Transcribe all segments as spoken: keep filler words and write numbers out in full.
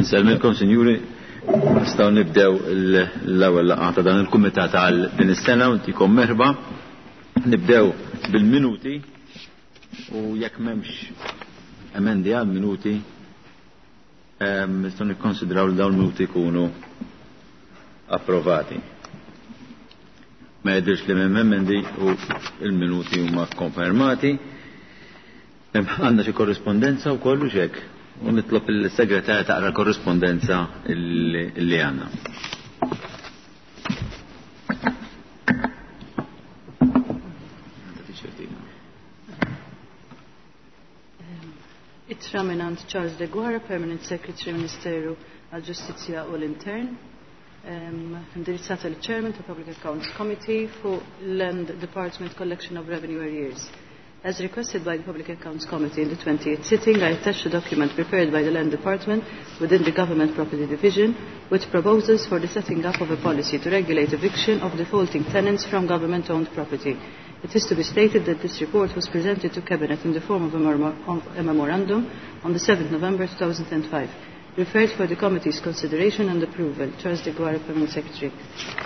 Insellmilkom, sinjuri, nistgħu nibdew l-ewwel laqgħa ta' dan il-kumitat għal din is-sena u ntikom merħba. Nibdew bil-minuti u jekk m'hemmx emendi għal minuti nistgħu nikkonsidraw li dawn il-minuti jkunu approvati. Ma jidhirx li m'hemm emendi u l-minuti huma konfermati. Għandna xi korrispondenza wkoll u x'hekk. U nitlob il-segretarja taqra l-korrispondenza li għandna. Ittra mingħand Charles de Guara, Permanent Secretary Ministeru għall-Ġustizzja u l-Intern, indirizzata lill Chairman ta' Public Accounts Committee fuq Land Department Collection of Revenue Arrears. As requested by the Public Accounts Committee in the twentieth sitting, I attached a document prepared by the Land Department within the Government Property Division with proposals for the setting up of a policy to regulate eviction of defaulting tenants from government-owned property. It is to be stated that this report was presented to Cabinet in the form of a, mem- of a memorandum on the seventh November two thousand five, referred for the committee's consideration and approval. Charles de Guara, Permanent Secretary.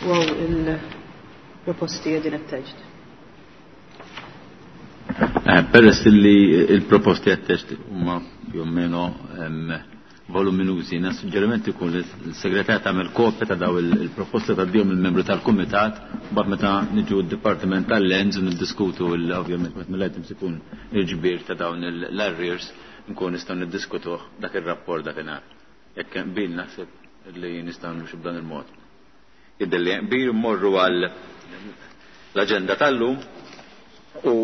Wow, il-proposti qegħdin attached. Peress li il-proposti attached huma più o meno voluminużi, na suġġeriment ikun li l-segretarja tagħmel kopja ta' daw il-proposti tgħaddihom il-membru tal-kumitat, mbagħad meta niġu d-dipartiment tal-Lands u niddiskutu ovvjament meta mill-items ikun il-ġbir ta' dawn l-arrears nkun nistgħu niddiskutuh dak ir-rapport dakinhar. Jekk qbil naħseb li nistgħu nimxu b'dan il-mod. Jidher li qbil mmorru għal l-aġenda tal-lum u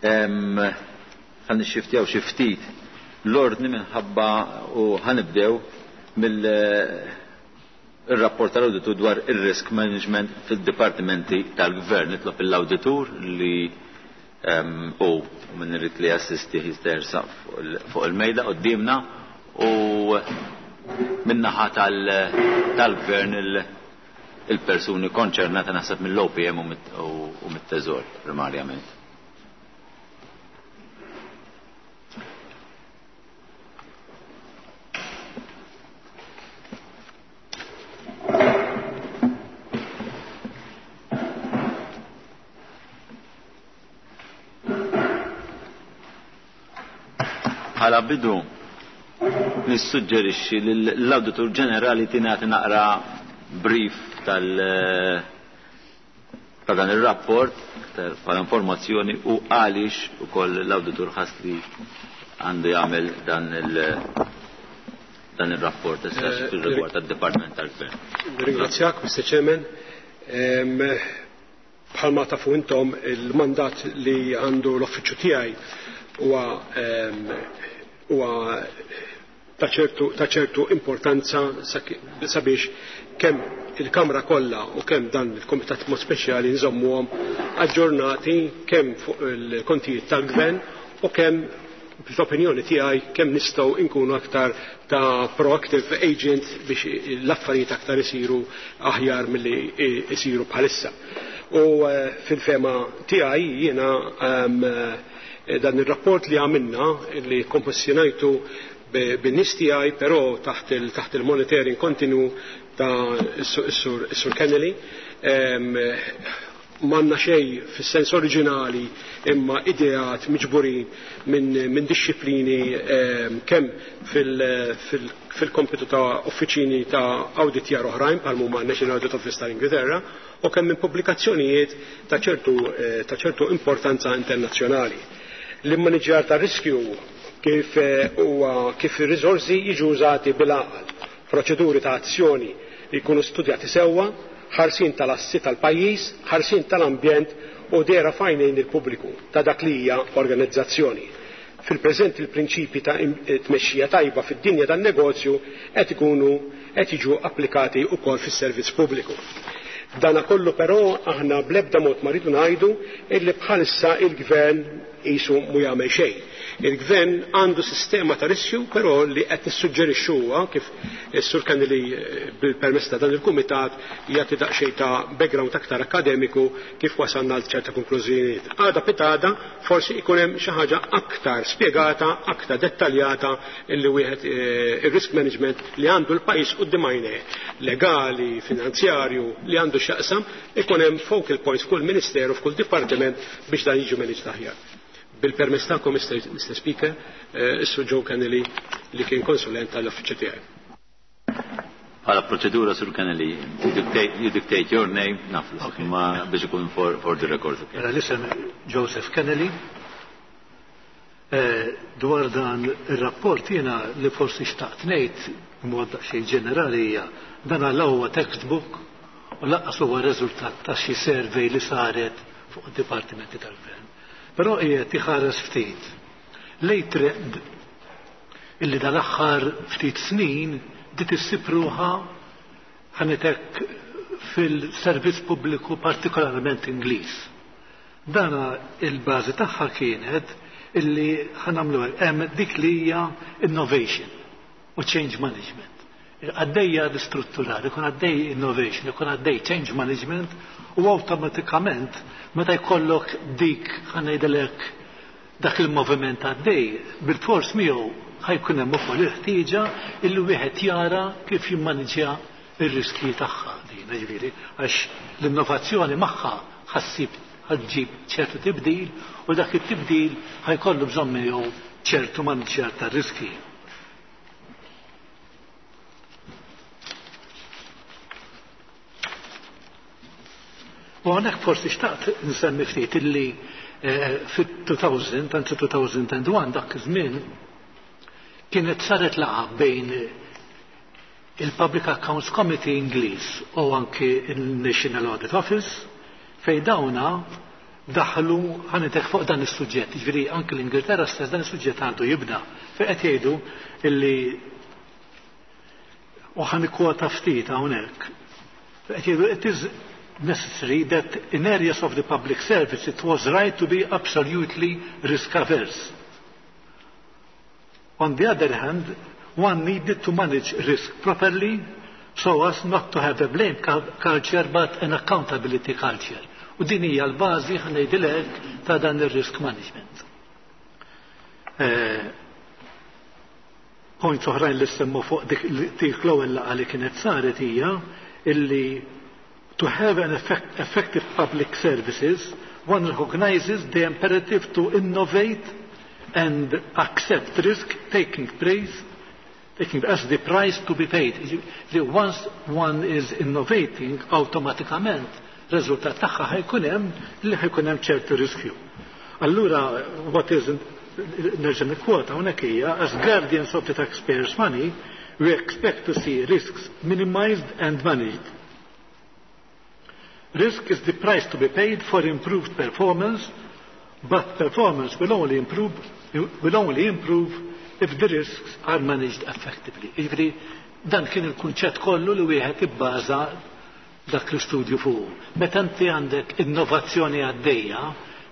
ħan nixxiftjaw xi ftit l-ordni minħabba u ħanibdew mill-rapport tal-awditur dwar ir-risk management fid-dipartimenti tal-gvern. Nitlob l-awditur li u min irid li jassisti jistersa fuq il-mejda quddiemna u min-naħa tal-gvern il-persuni konċernata naħseb mill-O P M u mit-Teżor primarjament. Bħala bidu nissuġġerixxi li l-Awditur Ġenerali tingħati naqra brief tal ta' dan ir-rapport bħala informazzjoni u għaliex ukoll l-awditur ħass li għandu jagħmel dan il dan ir-rapport issa fir-rigward tad-Dipartiment tal-Gvern. Ringrazzjak, Mister Chairman. Bħalma tafu intom il-mandat li għandu l-uffiċċju tiegħi huwa huwa ta' ċertu ta' ċertu importanza sabiex kemm il-Kamra kollha u kemm dan il-Kumitat mod speċjali nżommuhom aġġornati kemm fuq il-kontijiet tal-Gvern u kemm fl-opinjoni tiegħi kemm nistgħu nkunu aktar ta' proactive agent biex l-affarijiet aktar isiru aħjar milli isiru bħalissa. U fil-fema tiegħi jiena dan ir-rapport li għamilna li kompożjonajtu bin-nies tiegħi però taħt taħt il-monitoring kontinu ta' is-Sur Kennedy, m'għandna xejn fis-sens oriġinali imma ideat miġburin minn min disċiplini kemm fil-kompitu ta' uffiċini ta' awditjar oħrajn bħal huma National Audit Office tal-Ingilterra u kemm minn pubblikazzjonijiet ta' ċertu ta' ċertu importanza internazzjonali. L-immaniġġjar ta' riskju kif huwa kif ir-riżorsi jiġu użati bil-għaqal, proċeduri ta' azzjoni li jkunu studjati sewwa, ħarsin tal-assi tal-pajjiż, ħarsin tal-ambjent u dera fajnejn il-pubbliku ta' dak li hija organizzazzjoni. Fil-preżent il-prinċipi ta' tmexxija tajba fid-dinja tan-negozju qed ikunu qed jiġu applikati wkoll fis-servizz pubbliku. Dana kollu però aħna bl-ebda mod ma rridu ngħidu illi bħalissa il-gvern qisu mu jagħmel xejn. Il-gvern għandu sistema ta' riskju, però li qed nissuġġerixxu huwa kif is-Sur Kennelly bil-permess ta' dan il-kumitat jagħti daqsxejn ta' background aktar akademiku kif wasalna għal ċerta konklużjonijiet. Għada pitada forsi jkun hemm xi ħaġa aktar spjegata, aktar dettaljata illi wieħed ir-risk management li għandu l-pajjiż quddiem għajnejh, legali, finanzjarju, li għandu x'jaqsam, ikun hemm focal points f'kull ministeru, f'kull dipartiment biex dan jiġu managed aħjar. Bil-permess tagħkom, Mister Speaker, is-Sur Joe Kennelly li kien konsulent tal-uffiċċju tiegħi. Bħala proċedura, Sur Kennelly, you dictate, you dictate your name, naf, Okay. ma biex ikun for, for the record. Okay. Mela l-isem Joseph Kennelly. Eh, dwar dan ir-rapport jiena li forsi xtaqt ngħid b'mod daqsxejn ġenerali hija dan għal huwa textbook u lanqas huwa riżultat ta' xi survey li saret fuq id-dipartimenti tal-gvern. Però qiegħed iħares ftit lej trend illi dal-aħħar ftit snin dit issib ruħha ħanitek fil-servizz pubbliku partikolarment Ingliż. Dana il-bażi tagħha kienet illi ħanamlu hemm dik li hija innovation u change management. Għaddejja ristrutturar, ikun għaddej innovation, ikun għaddej change management u awtomatikament meta jkollok dik ħanejdilek dak il-moviment għaddej, bil-fors miegħu ħajkun hemm ukoll il-ħtieġa illi wieħed jara kif jimmaniġja ir-riskji tagħha din, ġifieri, għax l-innovazzjoni magħha ħassib ħaġġib ċertu tibdil u dak it-tibdil ħajkollu bżonn miegħu ċertu maniġjar tar-riskji. U għonek forsi xtaqt nsemmi ftit illi, eh, fit-two thousand, anzi two thousand and one, dak iż-żmien kienet saret laqgħa bejn il-Public Accounts Committee Ingliż u anki il-National Audit Office fej dawna daħlu ħanitek fuq dan is-suġġett. Ġifieri anki l-Ingilterra stess dan is-suġġett għandu jibda. Fejn qed jgħidu illi, u ħa nikkwota ftit hawnhekk. Qed jgħidu: "It is necessary that in areas of the public service it was right to be absolutely risk averse. On the other hand, one needed to manage risk properly so as not to have a blame culture but an accountability culture." U din hija l-bażi, ħa ngħidilek, ta' dan ir-risk management. Eh, point oħrajn li semmu fuq dik dik l-ewwel laqgħa li kienet saret hija illi to have an effect, effective public services, one recognizes the imperative to innovate and accept risk taking place taking as the price to be paid. Li once one is innovating, automatikament rezultat tagħha ħajkun hemm li ħajkun hemm ċertu riskju. Allura, what is, nerġa' nikkwota hawnhekk, hija: "As guardians of the taxpayers' money, we expect to see risks minimized and managed. Risk is the price to be paid for improved performance, but performance will only improve, will only improve if the risks are managed effectively." Jiġifieri dan kien il-kunċett kollu li wieħed ibbaża dak l-istudju fuq. Meta inti għandek innovazzjoni għaddejja,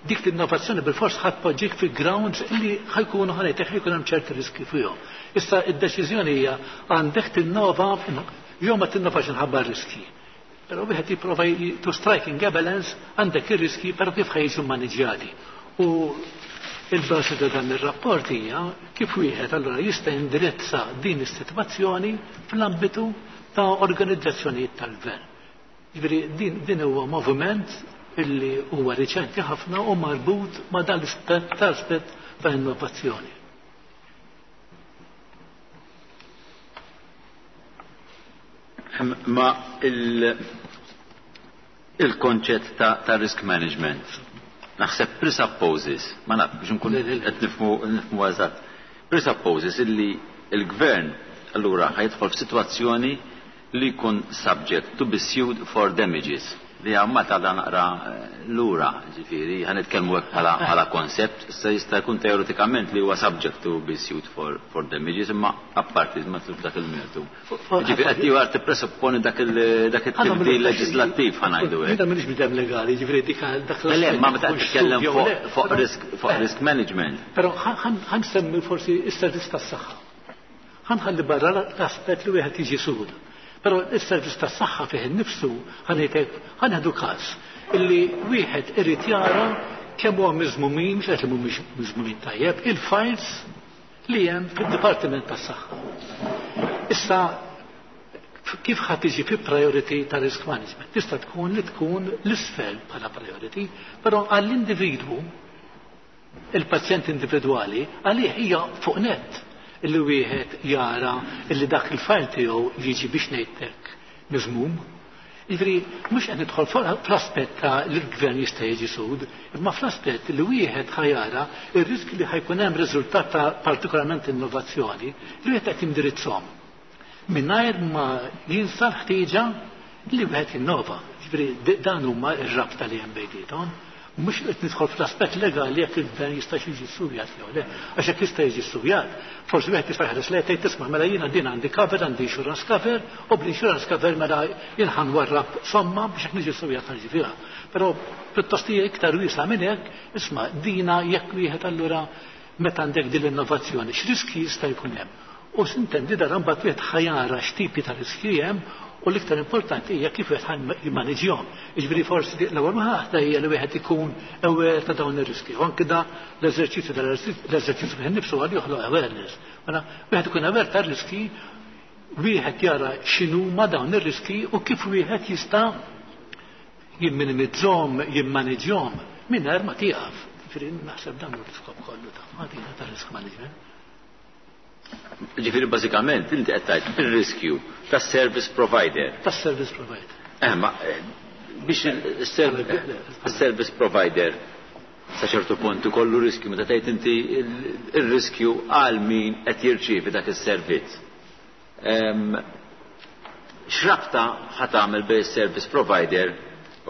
dik l-innovazzjoni bil-fors ħa tpoġġik fi grounds li ħajkunu ħanejtek ħajkun hemm ċerti riski fihom. Issa id-deċiżjoni hija għandek tinnova jew ma tinnovax inħabba riski. Però wieħed jipprova to striking a balance, għandek ir-riski, però kif ħajġu maniġjati. U il-bażi ta' dan ir-rapport hija kif wieħed allura jista' jindirizza din is-sitwazzjoni fl-ambitu ta' organizzazzjonijiet tal-gvern. Ġifieri din, din huwa moviment illi huwa riċenti ħafna u marbut ma' dan l-aspett ta' innovazzjoni. Ma il- il-konċett ta', ta' risk management naħseb presupposes, ma naf biex nkun qed nifhmu nifhmu eżatt, presupposes illi il-gvern allura ħajidħol f'sitwazzjoni li jkun subject to be sued for damages. Li għamma ta' naqra lura, ġifieri, ħa nitkellmu hekk bħala bħala koncept, issa jista' jkun teoretikament li huwa subject to be sued for, for damages, imma apparti ma tluf dak il-mertu. Ġifieri qed jew tippresupponi dak il- dak it-tibdil leġislattiv, ħa ngħidu hekk. Jiena m'iniex bniedem legali, ġifieri dik dak Le, ma meta qed titkellem fuq fuq risk fuq risk management. Però ħa nsemmi forsi is-servizz tas-saħħa. Ħa nħalli barra l-aspett li wieħed jiġi sued. Però is-servizz tas-saħħa fih innifsu, ħa ngħidlek, ħa nieħdu każ illi wieħed irid jara kemm huwa miżmumin, mhux qed li mhumiex miżmumin tajjeb, il-files li hemm fid-Dipartiment tas-Saħħa. Issa kif ħa tiġi fi priority ta' risk management? Tista' tkun li tkun l-isfel bħala priority, però għall-individwu, il-pazjent individwali, għalih hija fuq net illi wieħed jara illi dak il-file tiegħu jiġi, biex ngħidlek, miżmum. Jiġifieri mhux qed nidħol fl-aspett ta' li l-gvern jista' jiġi sued, imma fl-aspett li wieħed ħa jara ir-risk li ħa jkun hemm riżultat ta' partikolarment innovazzjoni li wieħed qed jindirizzhom. Mingħajr ma jinsa l-ħtieġa li wieħed jinnova. Jiġifieri dan huma r-rabta li hemm bejniethom. Mhux qed nidħol fl-aspett legali jekk il-gvern jista' jiġi ssujat jew le. Għax jekk jista' jiġi ssujat, forsi wieħed jista' jħares lejn, tgħid, "Tisma', mela jiena din għandi cover, għandi insurance cover, u bl-insurance cover mela jien ħa nwarrab somma biex jekk niġi ssujat ħa niġi fiha." Però pjuttost hija iktar wiesgħa minn hekk, isma', dina jekk wieħed allura meta għandek din l-innovazzjoni, x'riski jista' jkun hemm? U s'intendi dan mbagħad wieħed ħa jara x'tipi ta' riski hemm u l-iktar importanti hija kif wieħed jimmaniġjhom. Jiġifieri forsi l-ewwel waħda hija li wieħed ikun aware ta' dawn ir-riski. U anke da l-eżerċizzju l-eżerċizzju fih nifsu għal joħloq awareness. Mela wieħed ikun aware ta' riski, wieħed jara x'inhuma dawn ir-riski u kif wieħed jista' jimminimizzhom, jimmaniġjhom mingħajr ma tieqaf. Ġifieri naħseb dan hu l-iskop kollu ta' ta' risk management. Ġifieri bażikament inti qed tgħid ir-riskju tas-service provider. Tas-service provider. Eh, ma eh, biex il-service provider sa ċertu punt ikollu riskju, meta tgħid inti il-riskju għal min qed jirċievi dak is-servizz. X'rabta ħa tagħmel bejn service provider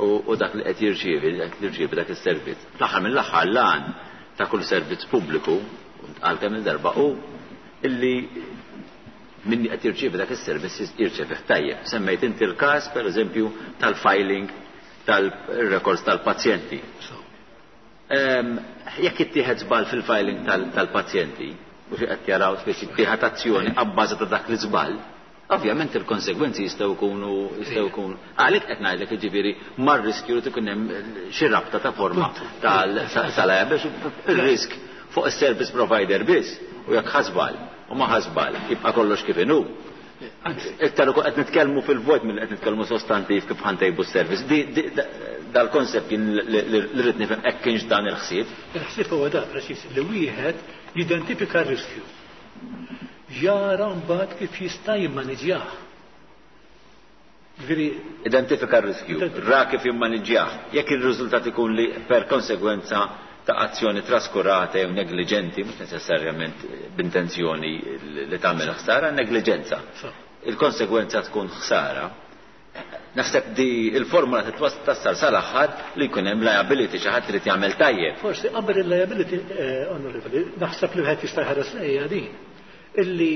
u dak li qed jirċievi qed jirċievi dak is-servizz? Fl-aħħar mill-aħħar, l-għan ta' kull servizz pubbliku, għal kemm il-darba, u illi minni qed jirċievi dak is-servizz jirċievi tajjeb. Semmejt inti l-każ, pereżempju, tal-filing tal-records tal-pazjenti. Jekk ittieħed żball fil-filing tal-pazjenti, u xi qed jaraw biex ittieħed azzjoni abbażi ta' dak l-iżball, ovvjament il-konsegwenzi jistgħu jkunu jistgħu jkunu. Għalhekk qed ngħidlek, jiġifieri mar-riskju li tkun hemm xi rabta ta' forma tal-biex il-risk fuq is-service provider biss u jekk ħa żball u ma ħa żball jibqa' kollox kif inhu. Iktar qed nitkellmu fil-vojt mill qed nitkellmu sostantiv kif ħa ntejbu s-service. Dal-konsept kien li rrid nifhem hekk kienx dan il-ħsieb. Il-ħsieb huwa da preċiż, li wieħed jidentifika r-riskju. Jara mbagħad kif jista' jimmaniġjah. Ġifieri identifika r-riskju, ra kif jimmaniġjah. Jekk ir-riżultat ikun li per konsegwenza ta' azzjoni traskurata jew negliġenti, mhux neċessarjament b'intenzjoni li tagħmel ħsara, negliġenza. Il-konsegwenza tkun ħsara. Naħseb di il-formula titwassal sal-aħħar li jkun hemm liability, xi ħadd irid jagħmel tajjeb. Forsi qabel il-liability, eh, onorevoli, naħseb li wieħed jista' jħares lejha din. Illi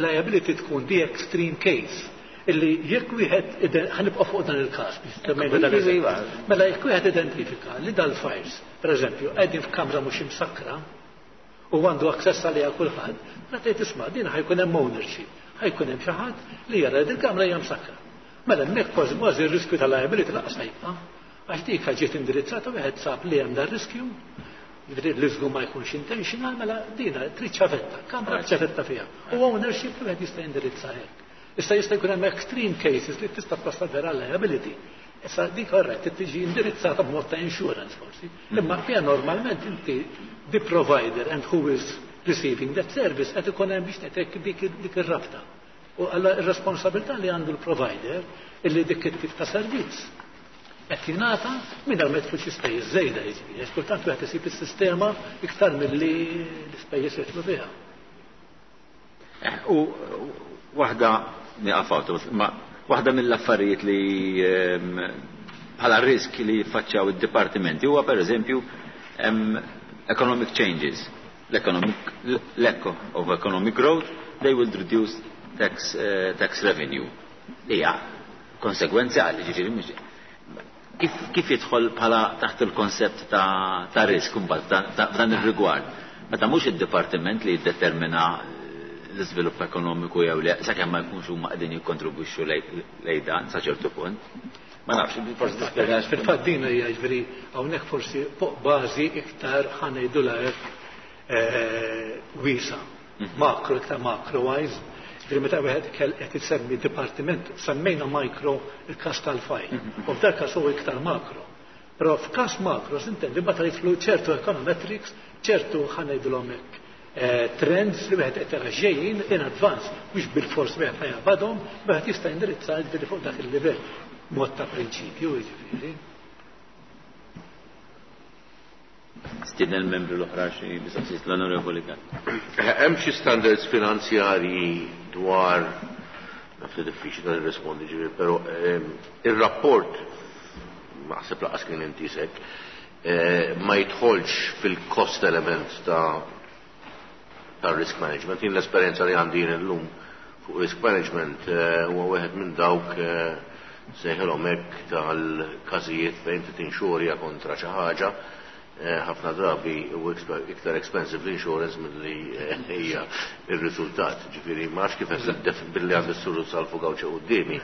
liability tkun the extreme case, illi jekk wieħed, ħa nibqa' fuq dan il-każ, mela jekk wieħed identifika li dal-files, pereżempju, qegħdin f'kamra mhux imsakra u għandu aċċess għaliha kulħadd, mela tgħid, "Isma', din ħa jkun hemm ownership, ħa jkun hemm xi ħadd li jara li il-kamra hija msakra." Mela hemmhekk kważi kważi r-riskju tal-liability lanqas jibqa'. Għax dik ġiet indirizzata, wieħed sab li hemm dan riskju, li żgur ma jkunx intentional, mela dina trid ċavetta, kamra ċavetta fiha. U ownership li wieħed jista' jindirizza hekk. Issa jista' jkun hemm extreme cases li tista' twassal vera liability. Issa dik orrett tiġi indirizzata b'mod ta' insurance forsi. Imma fiha normalment inti the provider and who is receiving that service qed ikun hemm, biex ngħidlek, dik dik ir-rabta. U alla ir-responsabilità li għandu l-provider illi dik it-tip ta' servizz qed jingħata mingħajr ma jidħlu xi spejjeż żejda, jiġifieri. Għax kultant wieħed isib is-sistema iktar milli l-ispejjeż jidħlu fiha. Eh, u waħda nieqaf, ma waħda mill-affarijiet li ehm, bħala risk li jiffaċċjaw id-dipartimenti huwa pereżempju economic changes, l-economic lack of economic growth, they will reduce tax, uh, tax revenue. Hija konsegwenzjali, ġifieri mhux kif, kif jidħol bħala taħt il-konsept ta', ta risk imbagħad f'dan ir-rigward. Meta mhux id-dipartiment li jiddetermina l-iżvilupp ekonomiku jew le, sakemm ma jkunx huma qegħdin jikkontribwixxu lejn dan sa ċertu punt. Ma nafx, forsi tispjega. Fil-fatt din hija ġifieri hawnhekk forsi fuq bażi iktar ħa ngħidulha hekk wiesa', makro iktar macro wise. Ġifieri meta wieħed qed isemmi dipartiment, semmejna micro il-każ tal-fajl. U f'dak każ huwa iktar makro. Però f'każ makro s'intendi meta jidħlu ċertu econometrics, ċertu ħa ngħidulhom hekk trends li wieħed qed jara ġejjin in advance, mhux bil-fors wieħed ħa jaqbadhom, wieħed jista' jindirizza ġifieri fuq dak il-livell. Mod ta' prinċipju jiġifieri. Stiedna l-membru l-oħra xi mistoqsijiet l-Onorevoli Gatt. Hemm xi standards finanzjarji dwar naf li diffiċli ta' nirrispondi ġifieri, però ir-rapport naħseb laqas kien intisek ma jidħolx fil-cost element ta' ta' risk management. Jien l-esperjenza li għandi jien illum fuq risk management huwa wieħed minn dawk sejħilhom hekk tal-każijiet fejn inti tinxurja kontra xi ħaġa ħafna drabi u iktar expensive l-insurance milli hija r-riżultat. Ġifieri ma nafx kif qed billi għandi s-suru salfu gawċe quddiemi.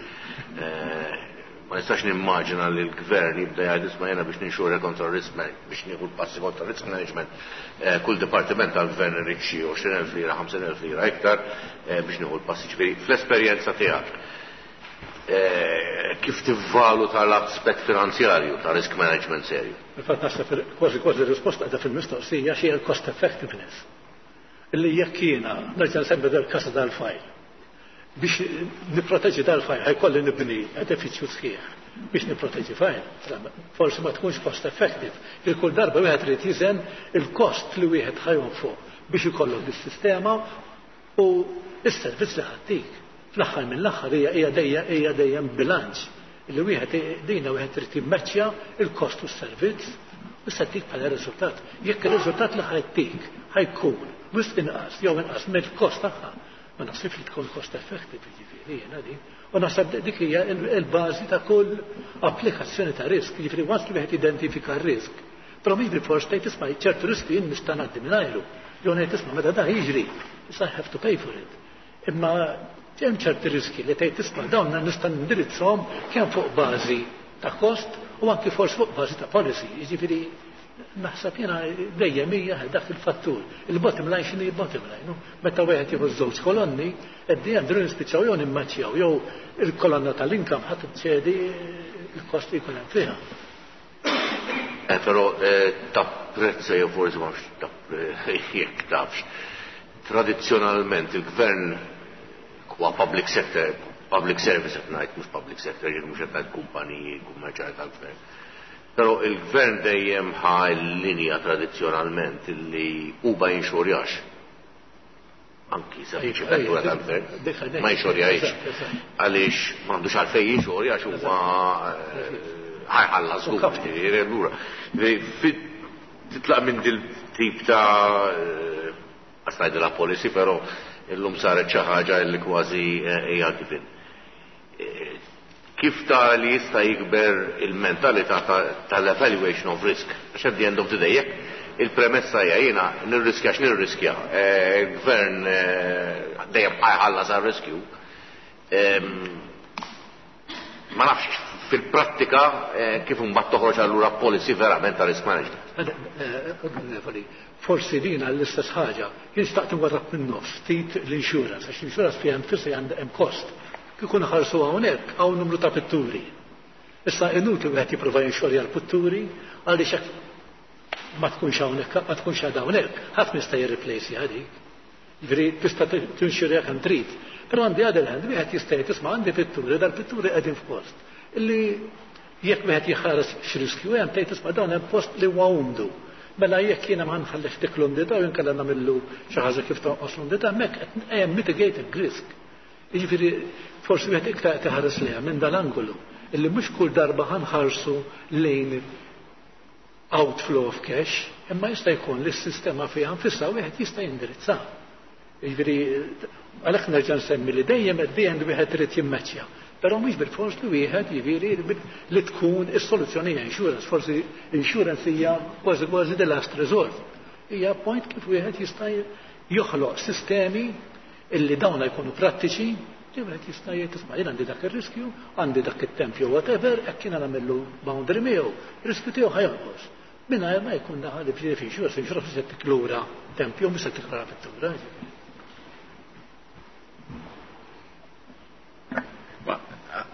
Ma nistax nimmaġina li l-gvern jibda jgħid isma' jiena biex ninxurja kontra risk management, biex nieħu l-passi kontra risk management, kull dipartiment tal-gvern irid xi għoxrin elf lira, ħamsin elf lira iktar biex nieħu l-passi. Ġifieri fl-esperjenza tiegħek kif tivvaluta l-aspett finanzjarju ta' risk management serju? Fil-fatt naħseb kważi kważi r-risposta qiegħda fil-mistoqsija xi l-cost effectiveness. Illi jekk jiena nerġa' nsemmi dal-kasa dal-fajl biex nipproteġi dal-fajl ħajkolli nibni edifiċju sħiħ biex nipproteġi fajl. Forsi ma tkunx cost effective. Il kull darba wieħed irid jiżen il-kost li wieħed ħajjon fuq biex ikollok dis-sistema u s-servizz li ħadtik. Fl-aħħar mill-aħħar hija hija dejjem hija dejjem bilanċ li wieħed dejna wieħed irid jimmeċċja il-kost u s-servizz u se ttik bħala riżultat. Jekk ir-riżultat li ħajtik ħajkun wisq inqas jew inqas mill-kost tagħha, ma naħsibx li tkun cost effective jiġifieri jiena din. U naħseb dik hija l-bażi ta' kull applikazzjoni ta' risk, jiġifieri once li wieħed identifika r-risk. Però mhix bil-fors tgħid isma' ċertu riski jien nista' ngħaddi mingħajru. Jew ngħid isma' meta dan jiġri, issa I have to pay for it. Imma hemm ċerti riski li tgħid isma' dawn nista' nindirizzhom kemm fuq bażi ta' kost u anki forsi fuq bażi ta' policy. Jiġifieri naħseb jiena dejjem hija dak il-fattur. Il-bottom line x'inhi bottom line. Meta wieħed jieħu żewġ kolonni, at the end nispiċċaw jew nimmaċċjaw jew il-kolonna tal-income ħadd ċedi il-kost li jkun hemm fiha. Però tapprezza jew forsi ma nafx jekk tafx. Tradizzjonalment il-gvern huwa public sector, public service qed ngħid mhux public sector, jien mhux qed ngħid kumpaniji kummerċjali tal-gvern. Però il-gvern dejjem ħa l-linja tradizzjonalment li huwa jinxurjax. Anki sa vettura tal-gvern ma jinxurjax. Għaliex m'għandux għalfejn jinxurjax huwa ħajħallas żgur. Titlaq minn dil tip ta' għax ngħidilha policy, però illum saret xi ħaġa li kważi hija given. Kif ta' li jista' jikber il-mentalità tal-evaluation of risk? Għax at the end of the day, jekk il-premessa hija jiena nirriskja x'nirriskja, il-gvern dejjem ħajħallas għar-riskju. Ma nafx fil-prattika kif imbagħad toħroġ allura policy verament ta' risk management. Forsi din għall-istess ħaġa, jien xtaqt nwarrab minn nofs ftit l-insurance, għax l-insurance fiha nfisha għandha hemm kost. Kieku nħarsu hawnhekk hawn numru ta' pitturi. Issa inutli wieħed jipprova jinxorja l-pitturi għaliex hekk ma tkunx hawnhekk, ma tkunx għadha hawnhekk, ħadd ma jista' jirreplejsi dik. Jiġifieri tista' tinxurja kemm trid. Però għandi other hand wieħed jista' jgħid isma' għandi pitturi, dal-pitturi qegħdin f'post. Illi jekk wieħed jħares x'riskju hemm tgħid isma' dawn hemm post li huwa umdu. Mela jekk jiena ma nħallix dik l-umdità u inkella nagħmillu xi ħaġa kif tonqos l-umdità, hemmhekk qed hemm mitigating risk. Jiġifieri forsi wieħed iktar qed iħares lejha minn dal-angolu. Illi mhux kull darba ħanħarsu lejn outflow of cash, imma jista' jkun li s-sistema fiha nfisha wieħed jista' jindirizza. Jiġifieri għalhekk nerġa' nsemmi li dejjem at the end wieħed irid jimmeċċja. Però mhux bil-fors li wieħed jiġifieri li tkun is-soluzzjoni hija insurance, forsi insurance hija kważi kważi the last resort. Hija point kif wieħed jista' joħloq sistemi illi dawna jkunu prattiċi, li wieħed jista' jgħid isma' jien għandi dak ir-riskju, għandi dak it-tempju whatever, hekk jiena nagħmillu boundary miegħu, riskju tiegħu ħajonqos. Mingħajr ma jkun daħal fi insurance, insurance se tiklura tempju, mhux se tiklura vettura.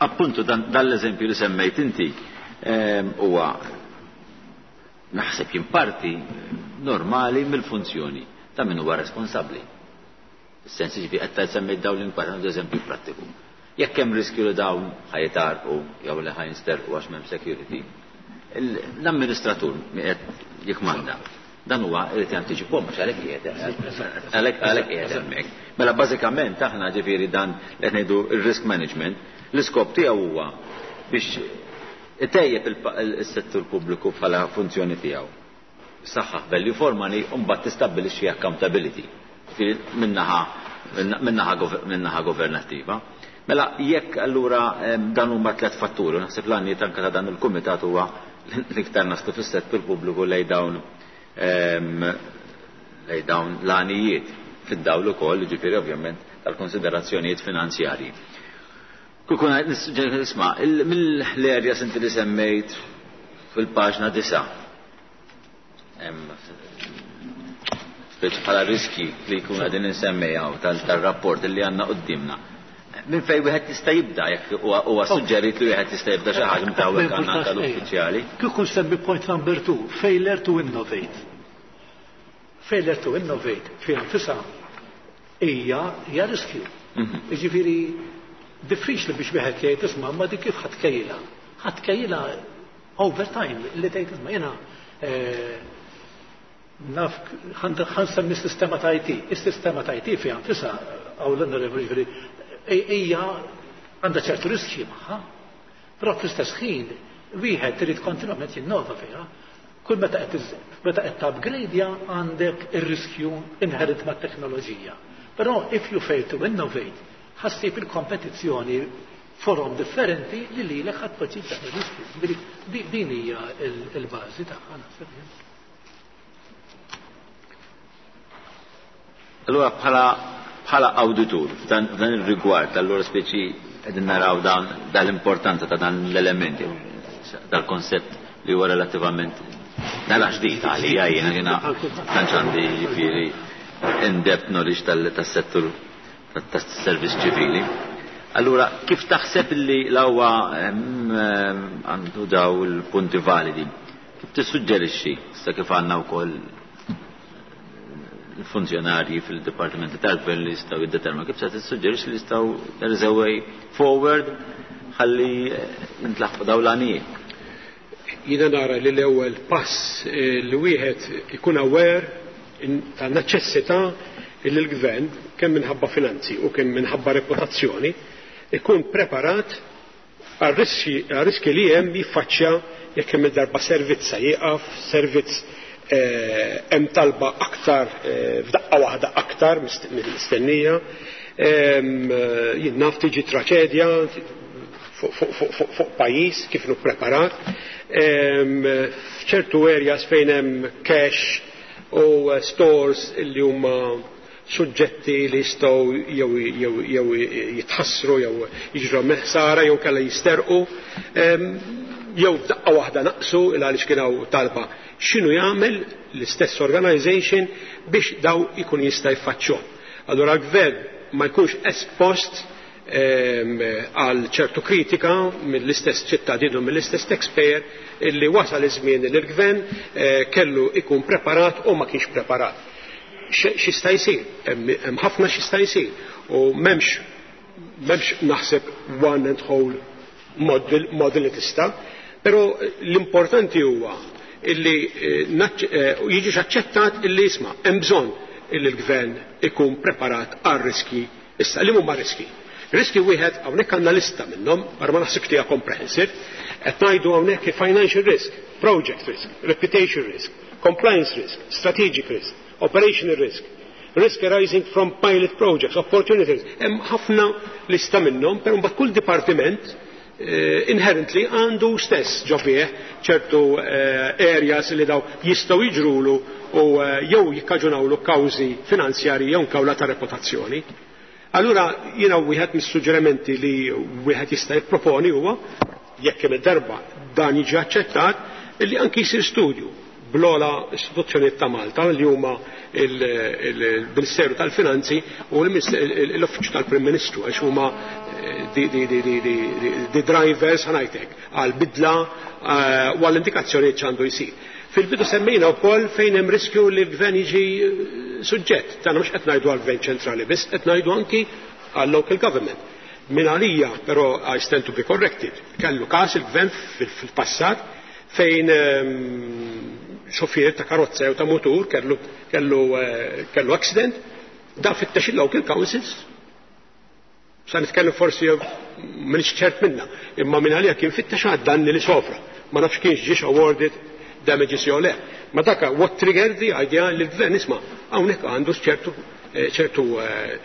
Appuntu dan l-eżempju li semmejt inti huwa naħseb jimparti normali mill-funzjoni ta' min huwa responsabbli. Fis-sens ġifi qed semmejt dawn l-inkwata għandu eżempju prattiku. Jekk hemm riskju li dawn ħajtarqu jew li ħajnsterqu għax m'hemm security, l-amministratur qed jikmanda. Dan huwa irid jantiċipahom għax għalhekk qiegħed għalhekk għalhekk qiegħed hemmhekk. Mela bażikament aħna ġifieri dan li qed ngħidu r-risk management, l-iskop tiegħu huwa biex itejjeb is-settur pubbliku bħala funzjoni tiegħu. Saħħaħ value for money u mbagħad tistabbilixxi accountability minnaħa minnaħa governattiva. Mela jekk allura dan huma tliet fatturi, naħseb l-għanijiet anke ta' dan il-kumitat huwa l-iktar naslu fis-settur pubbliku lej dawn lej dawn l-għanijiet fid-dawl ukoll, jiġifieri ovvjament tal-konsiderazzjonijiet finanzjarji. Kukun nisma' mill-areas inti li semmejt fil-paġna disa' bħala riski li jkun qegħdin insemmejjaw tal-rapport li għandna quddiemna. Minn fejn wieħed jista' jibda jekk huwa suġġerit li wieħed jista' jibda xi ħaġa minn hawnhekk għandna tal-uffiċjali. Kieku nsemmi point number two, failure to innovate. Failure to innovate fiha nfisha hija hija riskju. Jiġifieri diffiċli biex wieħed jgħid isma' ma dik kif ħadd kejla. Ħadd kejla over time li tgħid isma' jiena naf ħansemmi s-sistema ta' I T. Is-sistema ta' I T fiha nfisha għaw l-onorevoli ġifieri hija għandha ċertu riskji magħha, però fl-istess ħin wieħed irid kontinwament jinnova fiha. Kull meta qed meta qed upgradeja għandek ir-riskju inherent mat-teknoloġija. Però if you fail to innovate, ħassib il-kompetizzjoni forom differenti li lilek ħadd tpoġġi dan ir-riskju. Din hija l-bażi tagħha naħseb jien. Allura bħala bħala awditur f'dan ir-rigward, allura speċi qegħdin naraw dan dal-importanza ta' dan l-elementi, dal-konsept li huwa relattivament nara ġdid għalija jiena jiena tantx għandi jiġifieri in-depth knowledge tas-settur tas-servizz ċivili. Allura kif taħseb li l-ewwa għandu daw il-punti validi? Kif tissuġġerixxi sa kif għandna wkoll il-funzjonarji fil-dipartimenti tal-gvern li jistgħu jiddeterminaw kif se tissuġġerixxi li jistgħu there is a way forward ħalli nitlaħqu dawn l-għanijiet? Jiena nara li l-ewwel pass li wieħed ikun aware ta' neċessità li l-gvern kemm minħabba finanzi u kemm minħabba reputazzjoni ikun preparat għar-riski li hemm jiffaċċja jekk hemm darba servizz se jieqaf, servizz hemm talba aktar f'daqqa waħda aktar mistennija, jien naf tiġi traċedja fuq pajjiż kif nu preparat, f'ċertu areas fejn hemm cash u stores li huma suġġetti li jistgħu jew jew jitħassru jew jiġru ħsara jew kellha jisterqu jew f'daqqa waħda naqsu il għaliex kien hawn talba. X'inhu jagħmel l-istess organization biex daw ikun jista' jfaċċhom. Allura l-gvern ma jkunx espost għal ċertu kritika mill-istess ċittadin u mill-istess taxpayer illi wasal iż-żmien li l-gvern kellu ikun preparat u ma kienx preparat. X'jista' jsir? Hemm ħafna x'jista' jsir u m'hemmx m'hemmx naħseb one and whole model, model li tista', però l-importanti huwa illi jiġix aċċettat illi jisma' hemm bżonn illi l-gvern ikun preparat għal riski. Issa li huma riski? Riski wieħed hawnhekk għandna lista minnhom, barra ma naħsibx li hija comprehensive, qed ngħidu hawnhekk financial risk, project risk, reputation risk, compliance risk, strategic risk, operational risk, risk arising from pilot projects, opportunities. Hemm ħafna lista minnhom, però mbagħad kull dipartiment eh, inherently għandu stess ġo fih ċertu eh, areas li daw jistgħu jiġrulu u eh, jew jikkaġunawlu kawżi finanzjarji jew kawla ta' reputazzjoni. Allura jiena wieħed mis-suġġerimenti li wieħed jista' jipproponi huwa jekk hemm darba dan jiġi aċċettat illi anki jsir studju bl-ogħla istituzzjonijiet ta' Malta li huma il-Ministeru tal-Finanzi u l-Uffiċċju tal-Prim Ministru għax huma di drivers ħa ngħidlek għal bidla u għall-indikazzjoni x'għandu jsir. Fil-bidu semmejna wkoll fejn hemm riskju li l-gvern jiġi suġġett. Tagħna mhux qed ngħidu għall-gvern ċentrali biss, qed ngħidu anki għall-local government. Min għalija, però I stand to be corrected, kellu każ il-gvern fil-passat fejn xofier ta' karozza jew ta' motur kellu kellu kellu accident, dan fittex il-local councils. Sa nitkellem forsi m'iniex ċert minna, imma minn għalija kien fittex għad-danni li sofra. Ma nafx kienx ġiex awarded damages jew le. Ma daka what triggered the idea li l-gvern isma' hawnhekk għandu ċertu ċertu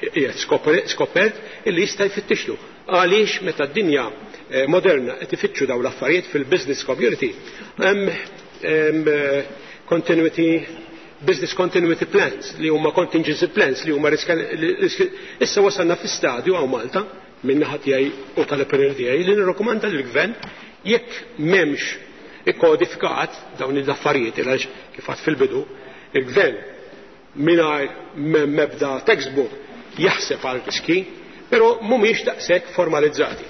qiegħed skopert illi jista' jfittixlu. Għaliex meta d-dinja moderna qed ifittxu dawn l-affarijiet fil-business community hemm continuity business continuity plans li huma contingency plans li huma risk issa wasalna fi stadju hawn Malta minn naħa tiegħi u tal-opinjoni tiegħi li nirrakkomanda lill-gvern jekk m'hemmx ikkodifikat dawn l-affarijiet għaliex kif għad fil-bidu il-gvern mingħajr mebda textbook jaħseb għal riski, però mhumiex daqshekk formalizzati.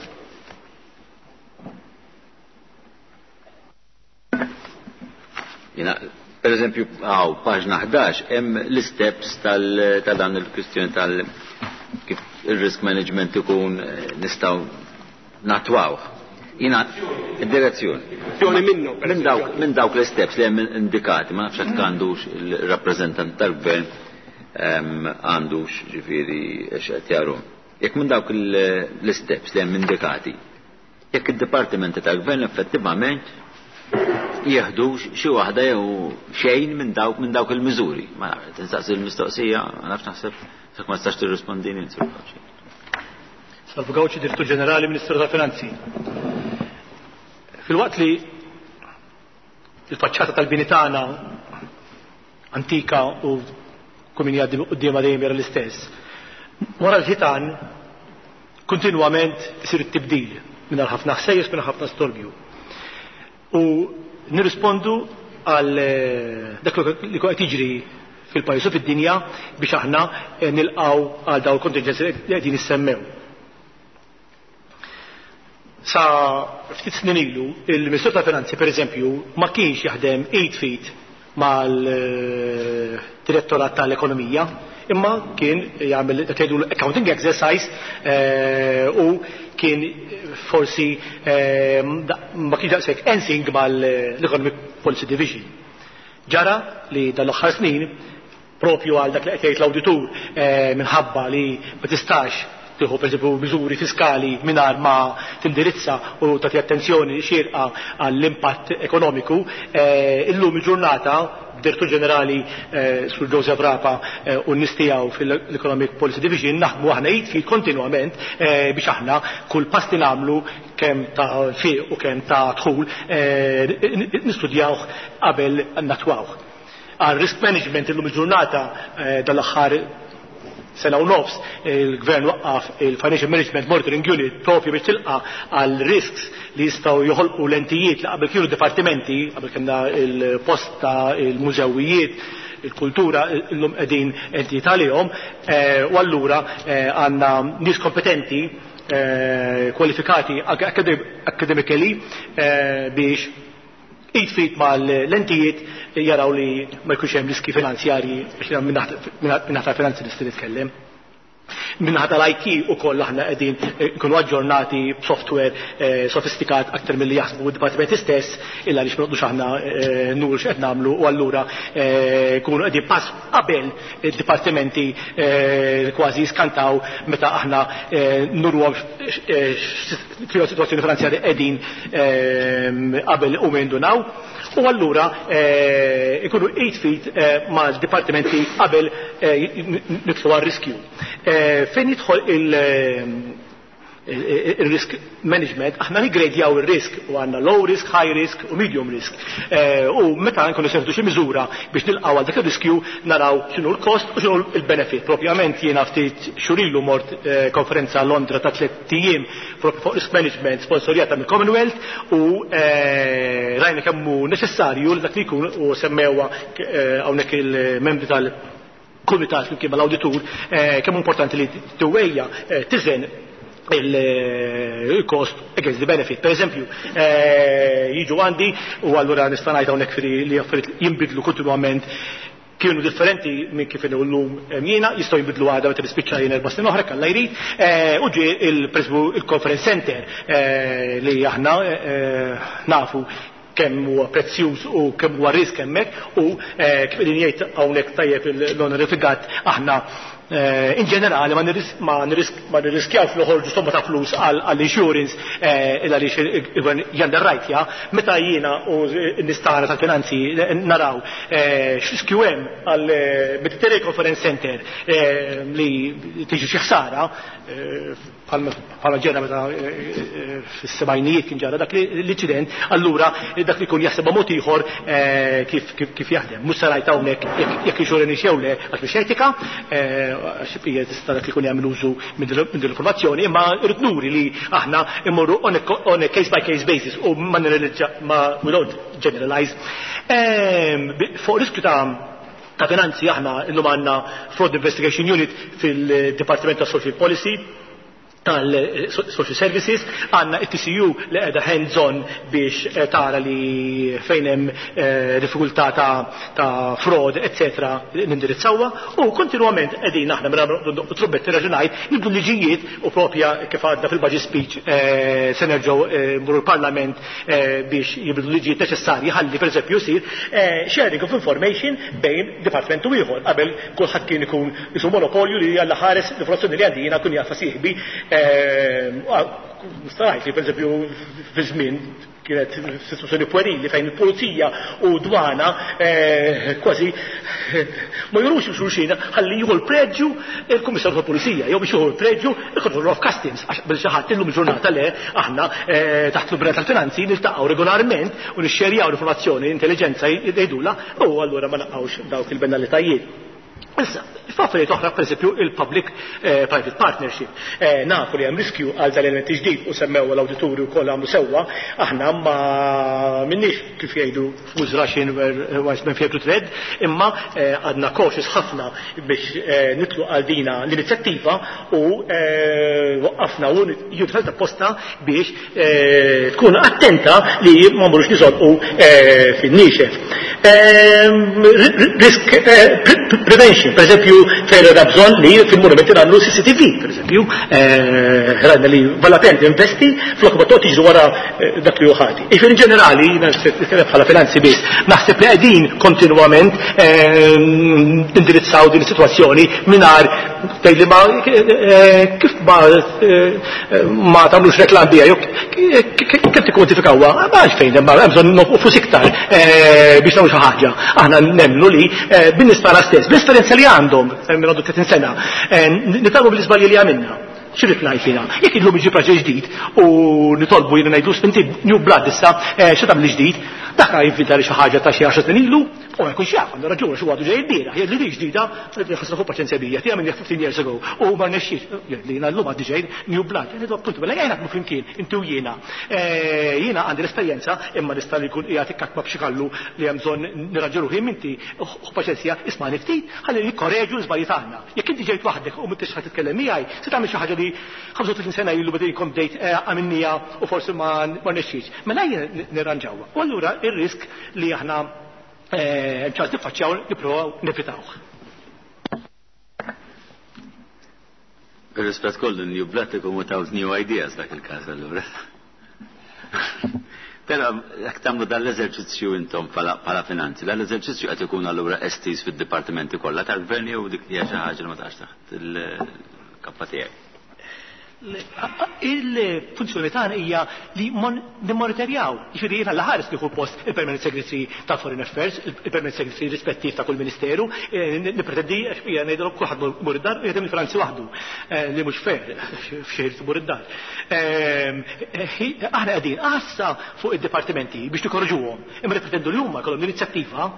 Jina, per eżempju, għaw, paġna ħdax, hemm l-steps tal dan il-kwistjoni tal kif il-risk management ikun nistgħu natwawh. Jina, id-direzzjoni. Minnu, minn dawk, minn dawk l-steps li hemm indikati, ma nafx hekk għandux il-rappreżentant tal-gvern għandux ġifieri x'qed jaru. Jekk minn dawk l-steps li hemm indikati, jekk id-dipartimenti tal-gvern effettivament jieħdux xi waħda jew xejn minn dawk minn dawk il-miżuri. Ma nafx, tinsaqsi l-mistoqsija, ma nafx naħseb jekk ma tistax tirrispondini Sur Gauci. Salvu Gauci, Direttur Ġenerali, Ministeru tal-Finanzi. Fil-waqt li il-faċċata tal-bini tagħna antika u kull min jgħaddi quddiemha dejjem jara l-istess, wara l-ħitan kontinwament isir it-tibdil mingħajr ħafna ħsejjes, mingħajr ħafna storbju. U nirrispondu għal dak li qed jiġri fil-pajjiż u fid-dinja biex aħna nilqgħu għal dawn il-kontingenzi li qegħdin issemmew. Sa ftit snin ilu, il-Ministru tal-Finanzi per eżempju ma kienx jaħdem eight feet mal-Direttorat tal-Ekonomija, imma kien jagħmel dak jgħidu accounting exercise u kien forsi ma kienx daqshekk ensing mal-Economic Policy Division. Ġara li dal-aħħar snin propju għal dak li qed jgħid l-awditur minħabba li ma tistax tieħu pereżempju miżuri fiskali mingħajr ma tindirizza u tagħti attenzjoni xierqa għall-impatt ekonomiku, illum il-ġurnata Direttur Ġenerali Sur Joseph Rapa u n-nies tiegħu fil-Economic Policy Division naħdmu aħna jitfi kontinwament biex aħna kull pass li nagħmlu kemm ta' fiq u kemm ta' dħul nistudjawh qabel natwawh. Għal risk management illum il-ġurnata dal-aħħar sena u nofs il-gvern waqqaf il-Financial Management Monitoring Unit propju biex tilqa għal risks li jistgħu joħolqu l-entijiet li qabel kienu dipartimenti, qabel kellna il-posta, il-mużewijiet, il-kultura, illum qegħdin entijiet għalihom, u allura għandna nies kompetenti, kwalifikati academically biex id fit mal-lentijiet jaraw li ma jkunx hemm riski finanzjarji biex minn naħta finanzi nista' nitkellem. Minnaħa tal-I T u koll aħna qegħdin nkunu aġġornati b'software sofistikat aktar milli jaħsbu d-dipartimenti stess, illa għaliex ma noqgħodux aħna nuru x'qed nagħmlu, u allura nkunu qegħdin pass qabel id-dipartimenti kważi jiskantaw meta aħna nurhom fil sitwazzjoni finanzjarja qegħdin qabel u jindunaw. U allura ikunu eight feet mal-dipartimenti qabel nidħlu għar-riskju. Fejn jidħol il-risk management, aħna nigredjaw il-risk u għandna low risk, high risk u medium risk. U meta nkunu se nieħdu xi miżura biex nilqgħu għal dak ir-riskju naraw x'inhu l-kost u x'inhu l-benefit. Propjament jiena ftit xurilu mort konferenza Londra ta' tliet ijiem fuq risk management sponsorjata mill-Commonwealth, u rajna kemm hu neċessarju li dak li jkun, u semmewha hawnhekk il-membri tal kumitat flimkien mal-awditur, kemm importanti li tiwejja tiżen il-cost against the benefit. Per eżempju, jiġu għandi u allura nista' ngħid hawnhekk li affarijiet jinbidlu kontinwament, kienu differenti minn kif inhu llum jiena, jistgħu jinbidlu għada meta nispiċċa jien erba' snin oħra kalla jrid, u ġie il-conference center li aħna nafu kemm huwa prezzjuż u kemm huwa risk hemmhekk, u kif qegħdin jgħid hawnhekk tajjeb l-onorifikat, aħna in ġenerali ma nirriskjawx noħorġu somma ta' flus għall-insurance illa għaliex il-gvern janderrajtja. Meta jiena u n-nistara tal-finanzi naraw x'riskju hemm għal Mediterranean Conference Center li tiġi xi ħsara, bħala ġera meta fis-sebgħinijiet kien ġara dak l-inċident, allura dak li jkun jaħsebha mod ieħor kif jaħdem. Mhux se ngħid hawnhekk jekk insurance jew le għax mhix etika, għax hija tista' dak li jkun jagħmel użu minn din l-informazzjoni, imma rrid nuri li aħna immorru on a case by case basis u ma ma we don't generalize. Fuq riskju ta' ta' finanzi aħna illum għandna Fraud Investigation Unit fil-Dipartiment ta' Social Policy tal-Social Services, għandna it-T C U li qiegħda hands-on biex tara li fejn hemm diffikultà ta' fraud, eccetera, nindirizzawha, u kontinwament qegħdin aħna mela trubbetti raġunajt nibdu liġijiet u propja kif għadna fil-budget speech se nerġgħu mmorru l-Parlament biex jibdu liġijiet neċessarji ħalli pereżempju jsir sharing of information bejn dipartiment u ieħor. Qabel kulħadd kien ikun isu monopolju li għalla ħares l-informazzjoni li għandi jiena kun jaf sieħbi. Nistarajt li per eżempju fi żmien kienet situazzjoni puerili fejn il-pulizija u dwana kważi ma jurux xulxin ħalli jieħu l-preġġju il-Kummissarju tal-Pulizija jew biex jieħu l-preġġju il-Controller of Customs, għax bil xi ħadd illum il-ġurnata le aħna taħt l-Umbrella tal-Finanzi niltaqgħu regolarment u nixxerjaw l-informazzjoni, intelligenza jgħidula, u allura ma naqgħux dawk il-banalitajiet. Issa, f'affarijiet oħra, pereżempju, il-public private partnership. Nafu li hemm riskju għal dal-elementi ġdid u semmew l-awditurju wkoll għamlu sewwa, aħna ma minniex kif jgħidu fools rushing where wise men fear to tread, imma għadna cautious ħafna biex nitlu għal dina l-inizjattiva u waqqafna u jidħol apposta biex tkun attenta li ma mmorrux niżolqu fin-niexef. Risk prevention, per eżempju, fejn għandna bżonn li fil-monumenti nagħmlu C C T V, per eżempju, rajna li vala pena investi flok ma toqgħod tiġri wara dak li hu ħati. Iġifieri in ġenerali, jiena nitkellem bħala finanzi biss, naħseb li qegħdin kontinwament nindirizzaw din is-sitwazzjoni mingħajr tgħid li ma kif ma ma tagħmlux reklam biha jew kif tikkontifikawha, ma għalfejn hemm bżonn nofqu flus iktar biex nagħmlu xi ħaġa. Aħna nemmnu li bin-nies tagħna stess, bl-esperjenza li għandhom minn għandu tletin sena, nitgħallmu bil-iżbalji li għamilna. X'irrid ngħid jiena? Jekk illum iġib raġel ġdid u nitolbu jiena ngħidlu inti new blood issa xi tagħmel ġdid, dak jivvinta li xi ħaġa ta' xi għaxar snin ilu, u ma jkunx jaf, għandu raġun xi għadu ġej ilbieraħ, jgħid li di ġdida, ħasra fuq paċenzja bija, tiegħi minn fifteen years ago, u ma rnexxiex, jgħid li jiena llum għaddi ġej new blood, jgħid appuntu mela jgħid naħdmu flimkien, inti u jiena. Jiena għandi l-esperjenza imma nista' li jkun qiegħed ikkakma b'xi kallu li hemm bżonn nirraġu ruħi inti ħu paċenzja, ismani ftit, ħalli nikkoreġu l-żbalji tagħna. Jekk inti ġejt waħdek u m'intix ħadd titkellem miegħi, se tagħmel xi ħaġa li ħamsa u tletin sena ilu bdejt kont bdejt għamilnija u forsi ma rnexxiex. Mela jien nirranġawha. U allura ir-risk li aħna ċans niffaċċjaw nippruvaw nevitawh. Bir-rispett kollu, new blood ikun without new ideas dak il-każ allura. Però jekk tagħmlu dan l-eżerċizzju intom bħala finanzi, dan l-eżerċizzju qed ikun allura estiż fid-dipartimenti kollha tal-gvern jew dik hija xi ħaġa li ma tax taħt il-kappa tiegħek? Il-funzjoni tagħna hija li nimmonitorjaw. Jiġifieri jiena l-ħares nieħu post il-Permanent Secretary ta' Foreign Affairs, il-Permanent Secretary rispettiv ta' kull ministeru, nippretendi hija ngħidilhom kulħadd mur id-dar u jaħdem il-Franzi waħdu, li mhux fair f'xejn tmur id-dar. Aħna qegħdin għassa fuq id-dipartimenti biex nikorġuhom, imma nippretendu li huma jkollhom l-inizjattiva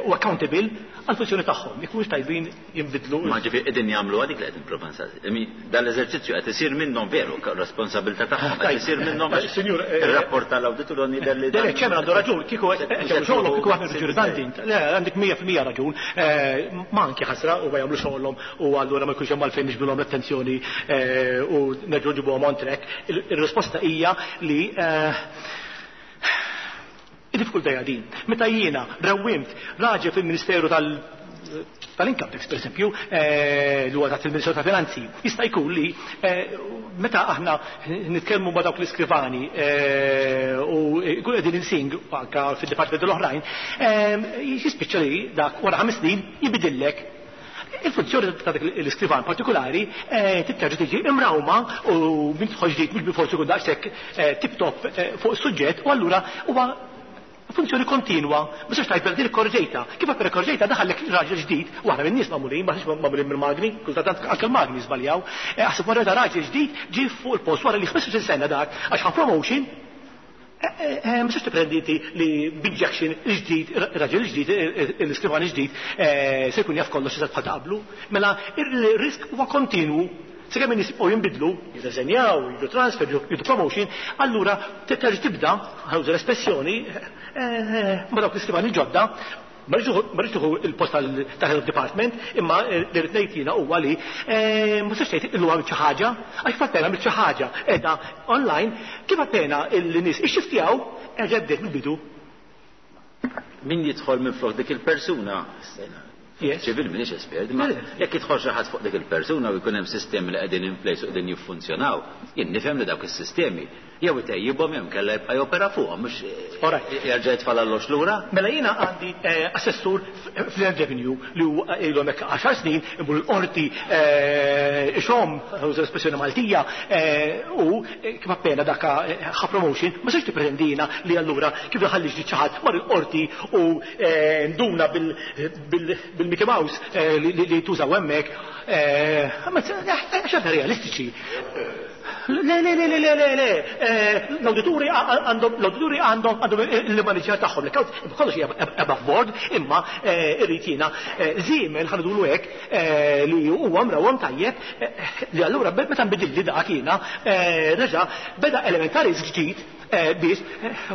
u accountable għall-funzjoni tagħhom. Jekk mhux tajbin jinbidlu. Ma ġifieri qegħdin jagħmlu għadik li qed nipprova nsaqsi. Dan l-eżerċizzju qed isir minnhom veru, responsabilità tagħhom qed isir minnhom. Sinjur, ir-rapport tal-awditur jidher li. Le, ċemmen għandu raġun, kieku xogħolhom kieku aħna ġuridanti. Le, għandek mija fil-mija raġun. Ma anki ħasra u ma jagħmlu xogħolhom u allura ma jkunx hemm għalfejn niġbilhom l-attenzjoni u nerġgħu nġibuhom on track. Ir-risposta hija li id-diffikultà hija din. Meta jiena rawwimt raġel fil-Ministeru tal tal-income tax, per esempio, li huwa taħt il-Ministeru ta' Finanzi, jista' jkun li meta aħna nitkellmu ma' dawk l-iskrivani u jkun qegħdin insing anke fid-dipartimenti l-oħrajn, jispiċċa li dak wara ħames snin jibidillek il-funzjoni ta' dak l-iskrivan partikolari titterġa' tiġi imrawma u min tidħol ġdid mhux bilforsi jkun daqshekk tip-top fuq is-suġġett u allura huwa funzjoni kontinwa, ma sax tajt din korġejta. Kif appena korġejta daħallek raġel ġdid, u aħna min-nies magħmulin, ma ħniex magħmulin mill-magni, kultant anke l-magni żbaljaw. Aħseb wara raġel ġdid ġie fuq il-post wara li ħmistax-il sena dak għax ħa promotion. Ma sax tipprendi li b'injection il-ġdid, raġel ġdid, l-iskrivan ġdid, se jkun jaf kollox eżatt bħal ta' qablu. Mela ir-risk huwa kontinwu. Sakemm in-nies jibqgħu jinbidlu, jirreżenjaw, jiġu transfer, jiġu promotion, allura terġa' tibda, ħawża l-espressjoni, ma dawk l-iskrivani ġodda, ma rridx tieħu il-post tal-head of department, imma li rrid ngħid jiena huwa li ma tistax tgħid illu għamilt xi ħaġa, għax kif appena għamilt xi ħaġa qiegħda online, kif appena l-nies ixxiftjaw, erġa' bdejt mill-bidu. Min jidħol minn flok dik il-persuna? Ċivil minix espert, ma jekk jidħol xi ħadd fuq dik il-persuna u jkun hemm sistemi li qegħdin in place u qegħdin jiffunzjonaw, jien nifhem li dawk is-sistemi jew itejjibhom jew kellha jibqa' jopera fuqhom mhux jerġa' jitfal għall lura. Mela jiena għandi assessur fl-Land Revenue li huwa ilhom hekk għaxar snin imur l-qorti ixhom, uża l-espressjoni Maltija, u kif appena dak ħa promotion, ma sax tippretendina li allura kif daħalli ġdid xi ħadd mar il-qorti u nduna bil-Mickey Mouse li tużaw hemmhekk, għax realistiċi. Le, le, le, le, le, le, l-awdituri għandhom l-awdituri għandhom għandhom il-manager tagħhom, l-account kollox hija above board, imma irrid jiena żiemel ħanidulu hekk li huwa mrawhom tajjeb li allura meta nbidilli dak jiena reġa' beda elementari ġdid biex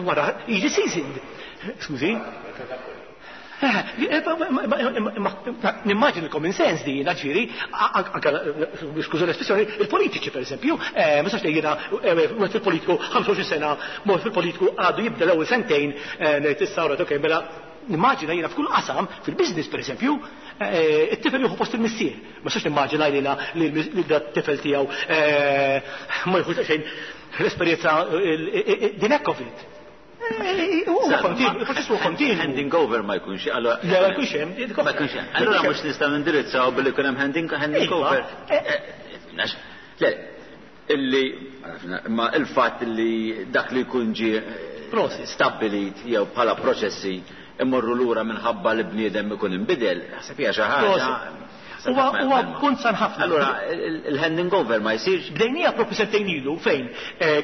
wara jiġi seasoned. Skużi? Nimmaġin il-common sense di jiena ġifieri, anke skuża l-espressjoni, il-politiċi per esempio, ma sax jiena wieħed fil-politiku ħamsa u għoxrin sena, mod fil-politiku għadu jibda l-ewwel sentejn ngħid issa ora okej mela nimmaġina jiena f'kull qasam, fil-business per esempio, it-tifel jieħu post il-missier. Ma sax nimmaġina jiena li d-tifel tiegħu ma jieħux xejn l-esperjenza din hekk of it. Il-proċess huwa kontinwu. Handing over ma jkunx, allora. Le, ma jkunx hemm. Ma jkunx hemm. Allura mhux nistgħu nindirizzaw billi jkun hemm handing handing over. Le, illi ma il-fatt li dak li jkun ġie stabbilit jew bħala proċessi imorru lura minħabba li bniedem ikun inbidel, ħseb hija xi ħaġa. Huwa punt san ħafna. Allura il-handing over ma jsirx. Bdejnija propju sentejn ilu fejn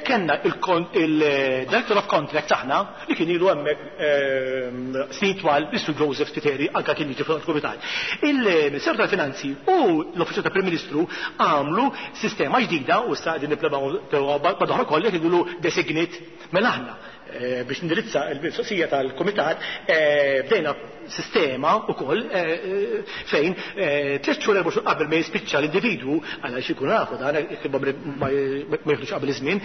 kellna il-Director of Contract aħna li kien ilu hemmhekk snin twal, Mister Joseph Spiteri, anke kien jiġi fil-Kumitat. Il-Ministeru tal-Finanzi u l-Uffiċċju tal-Prim Ministru għamlu sistema ġdida u issa qegħdin nipplebaw madwar kollha jgħidulu designate mela aħna. Biex nindirizza l-mistoqsija tal-Kumitat, bdejna sistema wkoll fejn tliet xhur, erba' xhur qabel ma jispiċċa l-individwu, għal xi jkun nafu dan ma jiflux qabel iż-żmien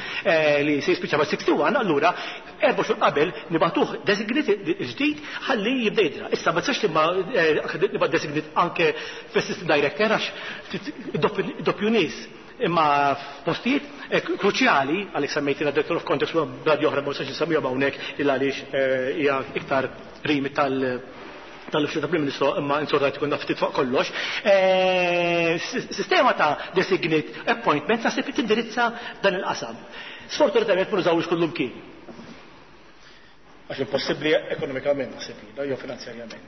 li se jispiċċa ma' sixty-one, allura erba' xhur qabel nibagħtuh designate ġdid ħalli jibda jidra. Issa ma tistax nibgħat designate anke fl-assistant director għax doppju nies, imma f'postijiet kruċjali, għalhekk semmejtina Director of Contracts u bradi oħra ma nistax nsemmihom hawnhekk illa għaliex hija iktar rimi tal tal-Uffiċċju tal-Prim Ministru, imma insortajt ikun ftit fuq kollox. Sistema ta' designate appointment naħseb tindirizza dan il-qasam. Sfortunatament ma nużawx kullum kien. Għax impossibbli ekonomikament naħseb jiena, jew finanzjarjament.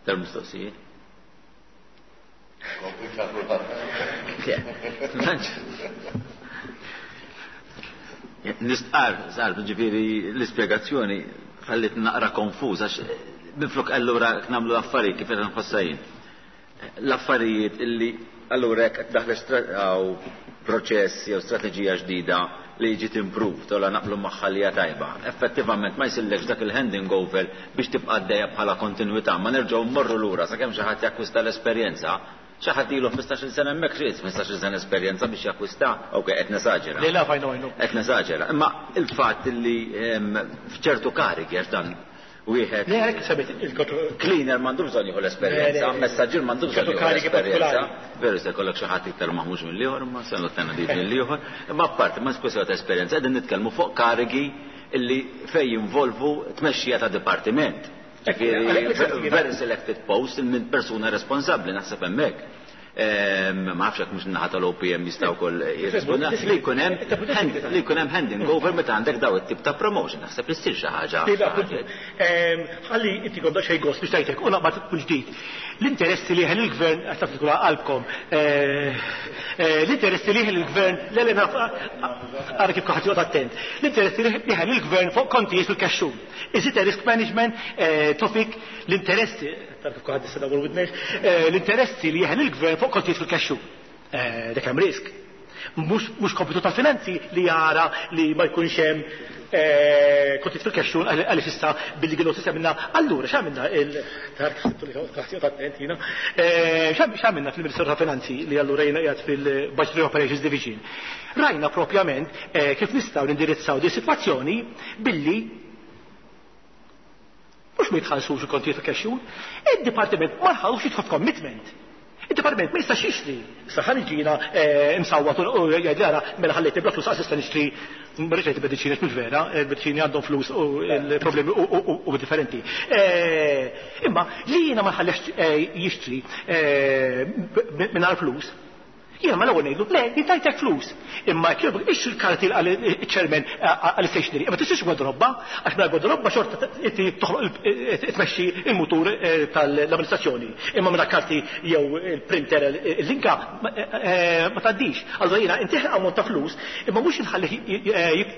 Dar mistoqsijiet? Nistqar, sar, ġifieri l-ispjegazzjoni ħallit naqra konfuż għax minflok allura nagħmlu affarijiet kif qed nħossajin. L-affarijiet illi allura jekk qed daħle proċess jew strateġija ġdida li ġiet improved u la naqblu magħha li hija tajba. Effettivament ma jsillekx dak il-handing over biex tibqa' għaddejja bħala kontinwità, ma nerġgħu mmorru lura sakemm xi ħadd jakkwista l-esperjenza. Xi ħadd ilu ħmistax-il sena hemmhekk xi ħmistax-il sena esperjenza biex jakkwista, okej qed nesaġera. Le la fajnu għajnu. Qed nesaġera. Imma il-fatt li f'ċertu karigi għax dan wieħed. Le għalhekk semmejt il-kontro Cleaner m'għandu bżonn jieħu l-esperjenza, messaġġier m'għandu bżonn jieħu l-esperjenza. Veru se jkollok xi ħadd iktar maħmuġ mill-ieħor, imma se nottenna dik mill-ieħor. Imma apparti ma kwestjoni ta' esperjenza, qegħdin nitkellmu fuq karigi illi fejn jinvolvu tmexxija ta' dipartiment. Very selected post minn persuna responsabbli naħseb hemmhekk. Ma nafx hekk mhux naħa tal-O P M jistgħu wkoll jirrispondu li jkun hemm li jkun hemm handing over meta għandek daw it-tip ta' promotion, naħseb li ssir xi ħaġa. Ħalli inti kont xejn gost biex tgħidlek u naqbad tkun ġdid. L-interessi li jeħel il-gvern, għax taf tkun qalbkom, l-interessi li jeħel il-gvern, le le naf ara kif ħadd joqgħod attent. L-interessi li jeħel il-gvern fuq kontijiet fil-kexxun. Is it a risk management topic? L-interessi, taf kif ħadd issa dawr widnejh, l-interessi li jeħel il-gvern fuq kontijiet fil-kexxun. Dak hemm risk. Mhux kompitu tal-finanzi li jara li ma jkunx hemm kontijiet fil-kexxun għaliex issa billi kienu sistema. Allura x'għamilna x'għamilna fil-Ministeru ta' Finanzi li allura jiena qiegħed fil-Budgetary Operations Division. Rajna propjament kif nistgħu nindirizzaw di sitwazzjoni billi mhux ma jitħallsux il-kontijiet fil-kexxun, id-dipartiment ma jħallux jidħol f'commitment. Il-dipartiment ma jistax jixtri. Issa ħalli ġina msawwat u jgħid ara mela ħallejt bla flus għas issa nixtri, ma rridx ngħid mediċini mhux vera, il-mediċini għandhom flus u l-problemi u differenti. Imma li jiena ma nħallix jixtri mingħajr flus, jiena ma l-ewwel ngħidlu, le, jien tajtek flus. Imma jekk jogħġbok ixtri l-karti għall-chairman għall-stationery, imma tixtrix gwardarobba, għax mingħajr gwardarobba xorta inti toħloq tmexxi il-mutur tal-amministrazzjoni. Imma mingħajr karti jew il-printer il-linka ma tgħaddix. Allura jiena intih ammont ta' flus, imma mhux inħallih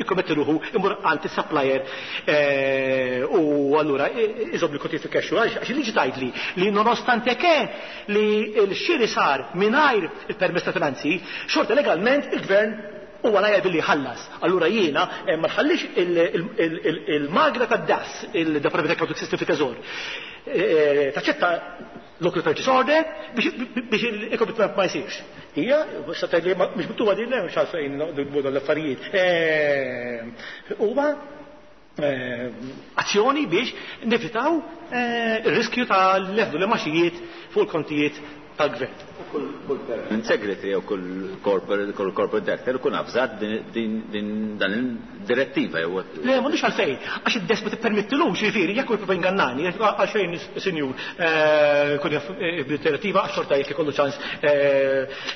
jikkommetti ruħu imur għand is-supplier u allura iżobb li kontijiet fil-cash flow, għax il-liġi tgħidli li nonostante che li l-xiri sar mingħajr il-permess ta' finanzi, xorta legalment il-gvern huwa lajja billi jħallas. Allura jiena ma nħallix il-magra tad-das, il-Department Accounting System fit-Teżor, taċċetta local purchase order biex il-commitment ma jsirx. Hija, sa tgħidli mhux miktuba din, mhux għalfejn noqogħdu l-affarijiet. Huwa azzjoni biex nevitaw ir-riskju tal-leħdu l-maxijiet fuq il-kontijiet tal-gvern. Kull segretary jew kull corporate, kull corporate director ikun avżat din dan il-direttiva jew Le, m'għandux għalfejn, għax id-desk ma tippermettilux, jiġifieri jekk hu jipprova jingannani, għalxejn sinjur, kun jaf bid-direttiva għax xorta jekk ikollu ċans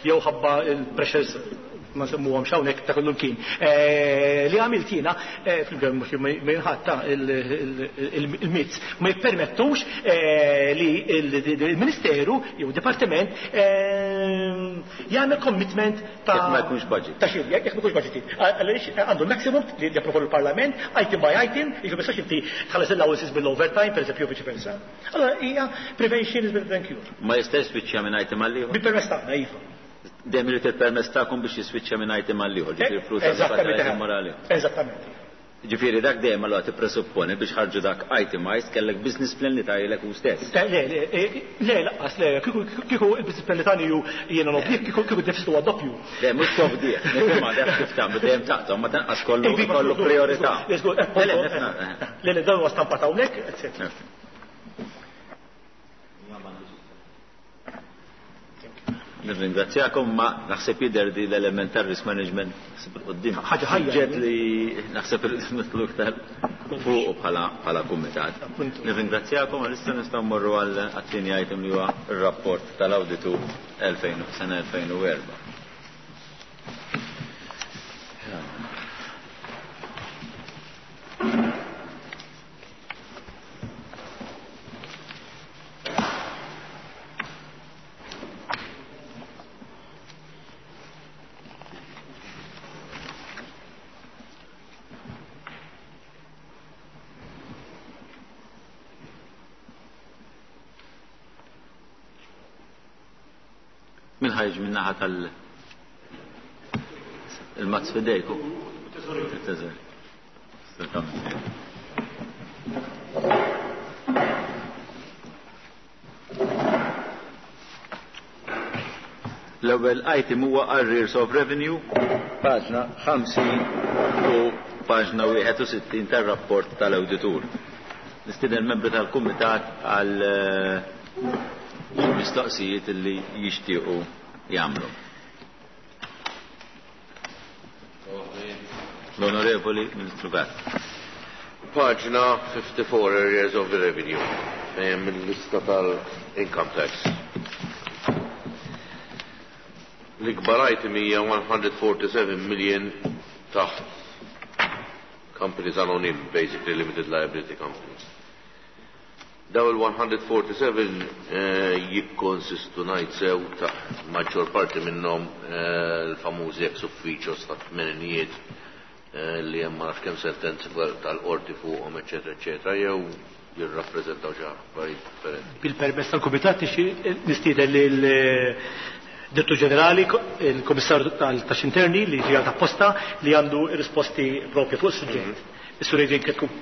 jew ħabba il-pressures ma nsemmuhomx hawnhekk ta' kullum kien. Li għamilt jiena fil-gvern mhux ma jinħatta il-mizz ma jippermettux li il-Ministeru jew Dipartiment jagħmel commitment ta' Jekk ma jkunx budget. Ta' xiri, jekk ma jkunx budgeted. Għaliex għandu maximum li japprovaw il-Parlament, item by item, jiġu ma jistax inti tħallas l-allowances bil-overtime, per eżempju, viċi versa. Allora hija prevention is better than cure. Ma jistax spiċċja minn item għal ieħor? Bil-permess tagħna, iva. Dejjem irid il-permess tagħkom biex jiswiċċja minn item għal ieħor, ġifieri flus għal Eżattament. morali. Eżattament. Ġifieri dak dejjem allura tippresupponi biex ħarġu dak itemized kellek business plan li tajlek hu stess. Le, le, le, laqqas, le, kieku il-business plan li tani ju jiena nobdih, kieku kieku d-deficit huwa doppju. Le, mhux tobdih, nifhimha dak kif tagħmlu dejjem taqta' ma tanqas kollu kollu priorità. Le, le, le, dan huwa stampat hawnhekk, eċetera. Nirringrazzjakom, ma naħseb jidher di l-element tar-risk management naħseb il-qoddim. Ħaġa ħajja. Ġed li naħseb nitlu iktar fuq bħala bħala kumitat. Nirringrazzjakom, għalissa nistgħu mmorru għal għat-tieni item li huwa r-rapport tal-awditu sena elfejn u erba'. Min ħajġ minn naħa tal il-mazz fidejku? Teżori. L-ewwel item huwa arrears of revenue, paġna ħamsin u paġna wieħed u sittin tar-rapport tal-awditur. Nistieden membri tal-kumitat għal mistoqsijiet li jixtiequ jagħmlu. L-Onorevoli Ministru Gatt. Paġna fifty-four, arrears of the revenue, fejn mill-lista tal-income tax. L-ikbar item hija one hundred forty-seven million taħt companies anonym, basically limited liability companies. Daw il-one hundred forty-seven jikkonsistu ngħid sew ta' maġġor parti minnhom l-famużi ex officios ta' tmeninijiet li hemm ma nafx kemm sentenzi tal-qorti fuqhom, eċetera, eċetera, jew jirrappreżentaw xi affarijiet differenti. Bil-permess tal-Kumitat nistieden lil Direttur Ġenerali, il-Kummissarju tal-Taxxi Interni li ġie apposta li għandu risposti propri fuq is-suġġett. Is-Sur Adrian Chetcuti.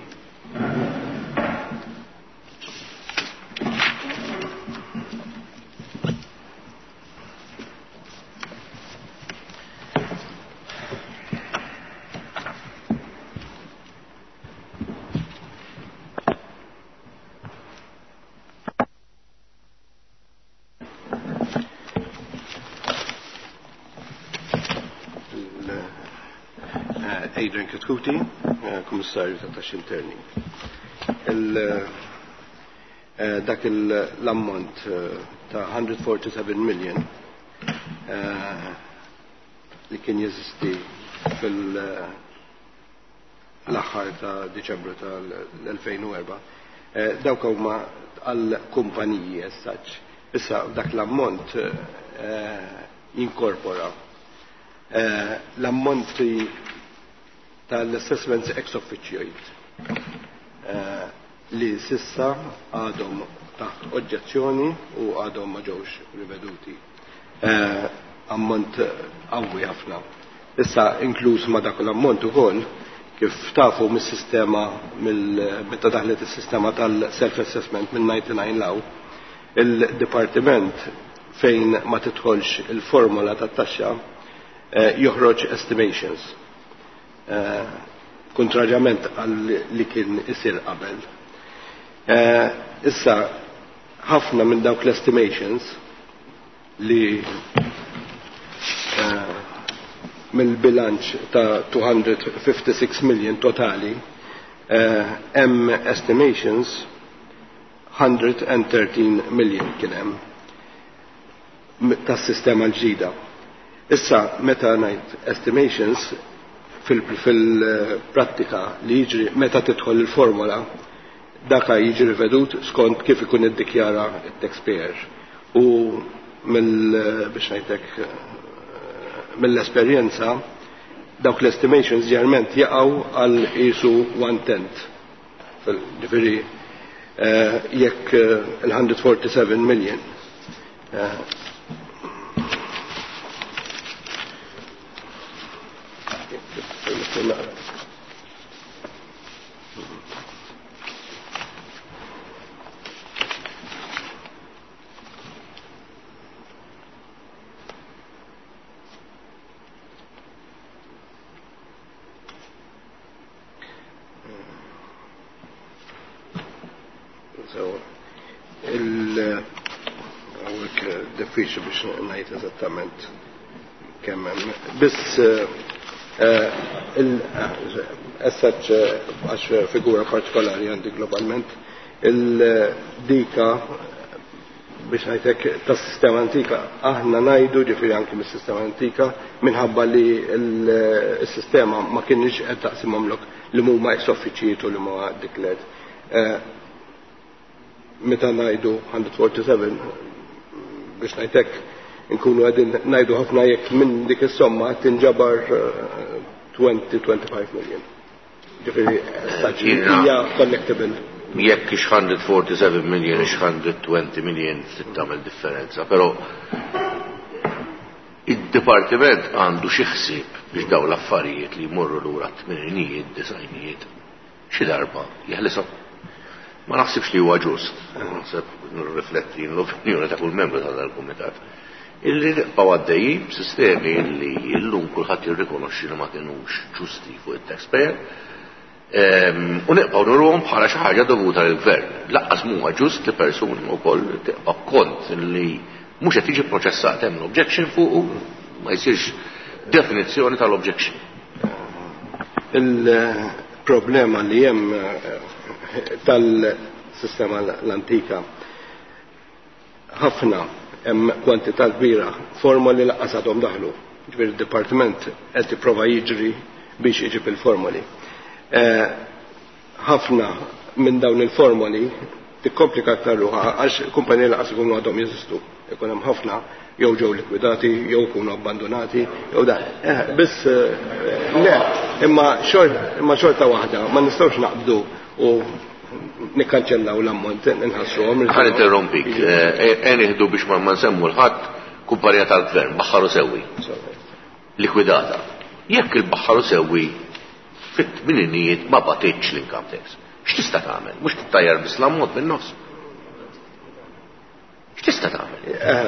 Adrian Chetcuti, Kummissarju ta' Taxxi Interni. Dak l-ammont ta' hundred forty-seven million li kien jeżisti fil-aħħar ta' Diċembru tal-elfejn u erba', dawk huma għall-kumpaniji as such. Issa dak l-ammont jinkorpora l-ammonti tal-assessments ex officio li sissa għadhom taħt oġġezzjoni u għadhom ma ġewx riveduti. Ammont qawwi ħafna. Issa inkluż ma dak l-ammont ukoll kif tafu mis-sistema meta daħlet is-sistema tal-self-assessment minn ninety-nine law, il-dipartiment fejn ma tidħolx il-formola tat-taxxa joħroġ estimations. Kontrarjament għal li kien isir qabel. Issa ħafna minn dawk l-estimations li mill-bilanċ ta' two hundred fifty-six million totali, hemm estimations hundred and thirteen million kien hemm tas-sistema l-ġdida. Issa meta ngħid estimations fil-prattika li jiġri meta tidħol il-formola, daka jiġri rivedut skont kif ikun iddikjara t-taxpayer. U mill, biex ngħidlek, mill-esperjenza dawk l-estimations ġerment jaqgħu għal qisu one tenth. Ġifieri jekk il-hundred forty-seven million Diffiċli biex ngħid eżattament kemm hemm. Biss eh, il-essaċ għax figura partikolari għandi globalment, il-dika biex ngħidlek tas-sistema antika, aħna ngħidu ġifieri anki mis-sistema antika minħabba li s-sistema ma kienx qed taqsimhomlok li huma ex-offiċijiet u li huma declared. Eh, meta ngħidu one forty-seven biex ngħidlek nkunu qegħdin ngħidu ħafna jekk minn dik is-somma tinġabar twenty to twenty-five million. Ġifieri hija collectible. Jekk ix one forty-seven million ix one twenty million trid tagħmel differenza, però id-dipartiment għandu xi ħsieb biex dawn l-affarijiet li jmorru lura t-tmeninijiet, disajnijiet, xi darba jeħlishom. Ma naħsibx li huwa ġust, naħseb nirrifletti l-opinjoni ta' kull membru ta' dal-kumitat, illi nibqgħu għaddejjin b'sistemi li llum kulħadd jirrikonoxxi li ma kinux ġusti fuq it-taxpayer, u nibqgħu nurhom bħala xi ħaġa dovuta lill-gvern. Laqqas m'huwa ġust li persuni wkoll tibqa' kont li mhux qed jiġi proċessat, hemm l-objection fuqu, ma jsirx definizzjoni tal-objection. Il-problema li hemm tal-sistema l-antika ħafna hemm kwantità kbira formoli laqqas għadhom daħlu. Ġifieri d-dipartiment qed jipprova jiġri biex iġib il-formoli. Ħafna minn dawn il-formoli tikkomplika aktar ruħha għax kumpaniji laqas ikunu għadhom jeżistu. Ikun hemm ħafna jew ġew likwidati, jew ikunu abbandonati, jew dan. Biss le, imma imma xorta waħda ma nistgħux naqbdu u nikkanċellaw l-ammont, inħassruhom. Ħa interrompik, e nieħdu biex ma nsemmu l-ħadd kumpanija tal-gvern, Baħħaru Sewwi. Likwidata. Jekk il-Baħħaru Sewwi fit-tmininijiet ma batitx l-income tax, x'tista' tagħmel? Mhux tittajjar biss l-ammont min-nofs. X'tista' tagħmel?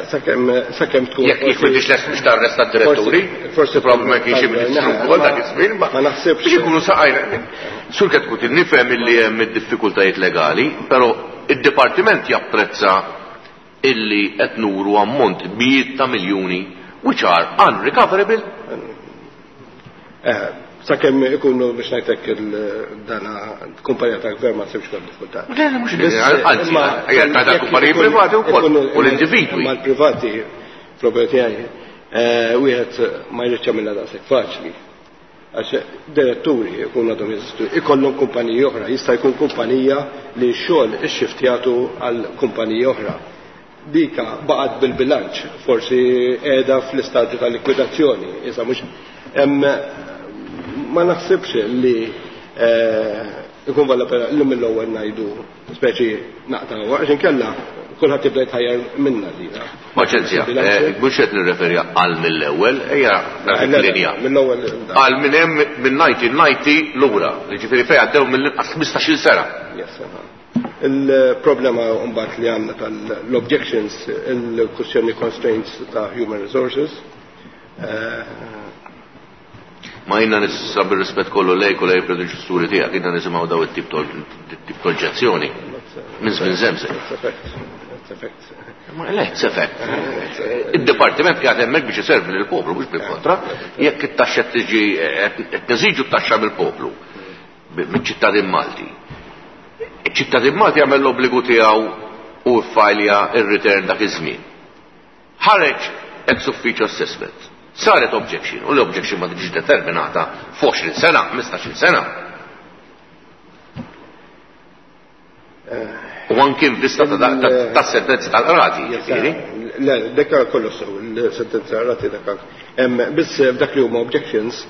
Sakemm sakemm tkun jekk jekk m'intix lest biex tarresta d-diretturi, forsi probabbli ma kienx ministru wkoll dak iż-żmien, ma naħsibx. Biex ikunu saqajna. Sur Chetcuti, nifhem illi hemm id-diffikultajiet legali, però id-dipartiment japprezza illi qed nuru ammont mijiet ta' miljuni which are unrecoverable. Sakemm ikunu biex ngħidlek il-dana kumpanija ta' gvern ma tsibx kol diffikultà. Le, mhux anzi, ta' kumpaniji privati wkoll u l-individwi. Ma l-privati, problemi tiegħi, wieħed ma jridx jagħmilha daqshekk faċli. Għax diretturi jkunu għadhom jeżistu, ikollhom kumpaniji oħra, jista' jkun kumpanija li x-xogħol ixxiftjatu għal kumpaniji oħra. Dika baqgħet bil-bilanċ, forsi qiegħda fl-istadju ta' likwidazzjoni, issa mhux hemm. Ma naħsibx li ikun valla pena li mill-ewwel ngħidu speċi naqtaw, għax inkella kulħadd jibda jitħajjar minna dina. Paċenzja, mhux qed nirreferi għal mill-ewwel, ejja linja. Mill-ewwel. Għal minn hemm minn ninety ninety lura, jiġifieri fejn għaddew mill-inqas ħmistax-il sena. Il-problema mbagħad li għandna tal-objections, il-kwestjoni constraints ta' human resources. Ma jina nissa bil-rispett kollu lejk u lej predeċessuri tiegħek, jina nisimgħu daw it-tip ta' oġġezzjoni minn żmien żemżek. Ma le, it's a fact. Id-dipartiment qiegħed hemmhekk biex iservi lill-poplu, mhux bil-kontra. Jekk it-taxxa tiġi qed neżiġu t-taxxa mill-poplu, mill-ċittadin Malti. Iċ-ċittadin Malti jagħmel l-obbligu tiegħu u ffajlja r-return dak iż-żmien. Ħareġ ex officio assessment. Saret objection, u l-objection ma tiġix determinata f'għoxrin sena, ħmistax-il sena. U anki in vista ta' sentenza tal-qrati, ġifieri? Le, dak kollu sew, il-sentenza tal-qrati dak. Biss f'dak li huma objections,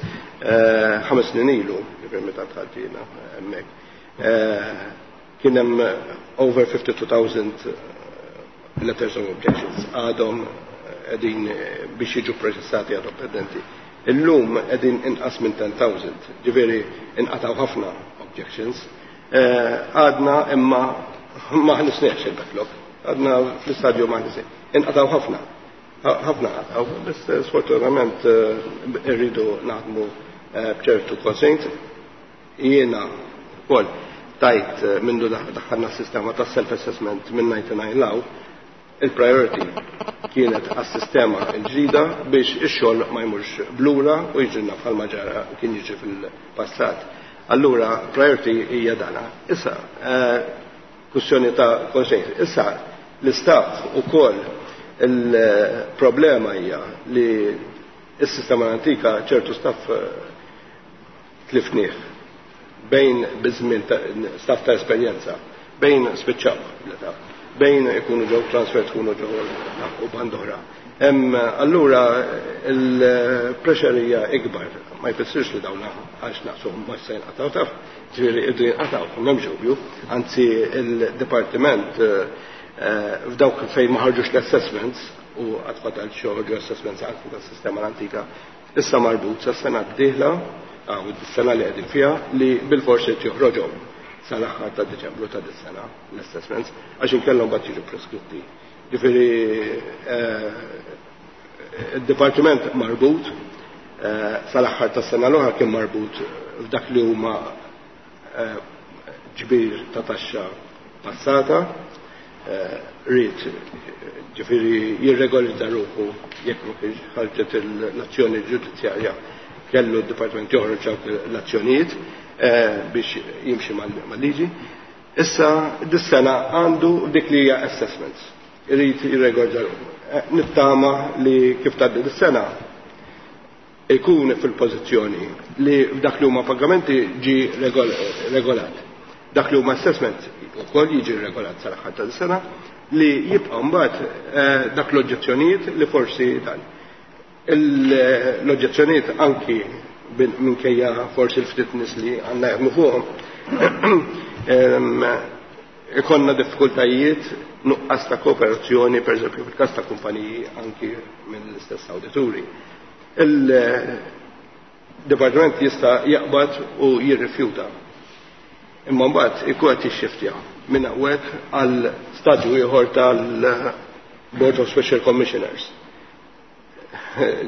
ħames snin ilu, ġifieri meta dħalt jiena hemmhekk, kien hemm over fifty-two thousand letters of objections għadhom qegħdin biex jiġu proċessati għadhom pendenti. Illum qegħdin inqas minn ten thousand, ġifieri inqataw ħafna objections. Għadna imma ma ħnisniex il-backlog, għadna fl-istadju ma ħnisniex. Inqataw ħafna, ħafna qataw, biss sfortunatament irridu naħdmu b'ċertu constraints. Jiena wkoll tajt mindu daħħalna s-sistema ta' self-assessment minn ninety-nine law, il-priority kienet għas-sistema l-ġdida biex ix-xogħol ma jmurx blura u jiġrilna bħalma ġara kien jiġri fil-passat. Allura priority hija dana. Issa, kwestjoni ta' constraints. Issa, l-istaff ukoll il-problema hija li s-sistema l-antika ċertu staff tlifnieh bejn biżmien staff ta' esperjenza, bejn spiċċaw l-età, bejn ikunu ġew transfer tkunu ġew u bandora. Allura il-pressure hija ikbar, ma jfissirx li dawna għax naqsuhom ma se jinqataw taf, ġifieri irdu jinqataw, m'hemmx dubju, anzi il-dipartiment f'dawk fejn ma ħarġux l-assessments u għad fadal xi assessments anki tas-sistema l-antika, issa marbut sa sena d-dieħla u s-sena li qegħdin fiha li bil-forsi joħroġhom sal-aħħar ta' Deċembru ta' dis-sena l-assessments għax inkellhom mbagħad jiġu preskritti. Ġifieri id-dipartiment marbut sal-aħħar tas-sena l-oħra kien marbut f'dak li huma ġbir ta' taxxa passata, rrid ġifieri jirregolizza ruħu jekk ma kienx ħarġet l-azzjoni ġudizzjarja kellu d-dipartiment joħroġ dawk l-azzjonijiet biex jimxi mal-liġi. Issa dis-sena għandu dik li hija assessments. Irid jirregolizza ruħu. Nittama li kif tgħaddi dis-sena ikun fil-pożizzjoni li f'dak li huma pagamenti ġi regolat. Dak li huma assessment ukoll jiġi regolat sal-aħħar tas-sena li jibqa' mbagħad dak l-oġġezzjonijiet li forsi dan. L-oġġezzjonijiet anki minkejja forsi l-ftit nies li għandna jaħdmu fuqhom ikonna diffikultajiet nuqqas ta' kooperazzjoni, per eżempju fil-każ ta' kumpaniji anki mill-istess awdituri. Il-dipartiment jista' jaqbad u jirrifjuta. Imma mbagħad ikun qed jixxiftja minn hawnhekk għal stadju ieħor tal-Board of Special Commissioners.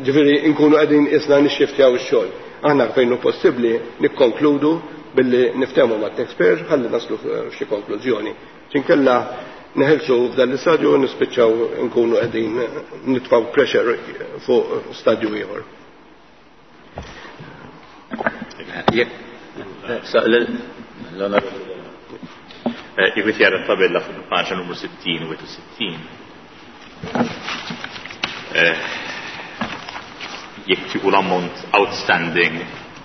Ġifieri nkunu qegħdin isna nixxiftjaw ix-xogħol. Aħna fejn hu possibbli nikkonkludu billi niftehmu mat-taxpayer ħalli naslu f'xi konklużjoni. Xinkella neħelsu f'dan l-istadju u nispiċċaw nkunu qegħdin nitfgħu pressure fuq stadju ieħor. Jekk jara tabella fuq il-paġna numru sittin u sittin. Jekk tieħu l-ammont outstanding,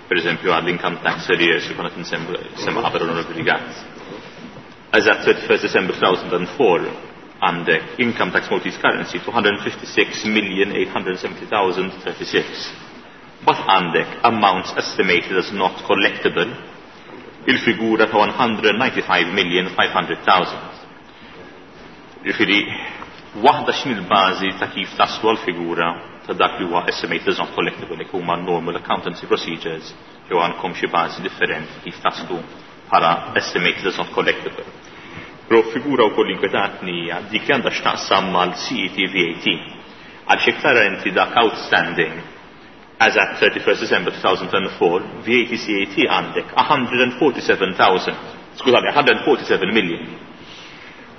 per eżempju għall-income tax arrears li konna tinsemma qabel l-Onorevoli Gatt. As at thirty-first December two thousand four, għandek income tax Maltese currency two hundred fifty-six million eight hundred seventy thousand thirty-six. But għandek amounts estimated as not collectible il-figura ta' one hundred ninety-five million five hundred thousand. Ġifieri, waħda x'in il-bażi ta' kif taslu għal-figura ta' dak li huwa estimated as not collectible, li huma normal accountancy procedures, jew għandkom xi bażi differenti kif taslu bħala estimated as not collectible. Però figura wkoll inkwetatni hija dik li għandha x'taqsam mal-C E T V A T. Għal xi iktar inti dak outstanding as at thirty-first December two thousand four, V A T C A T għandek a hundred forty-seven thousand, skużani, a hundred forty-seven million.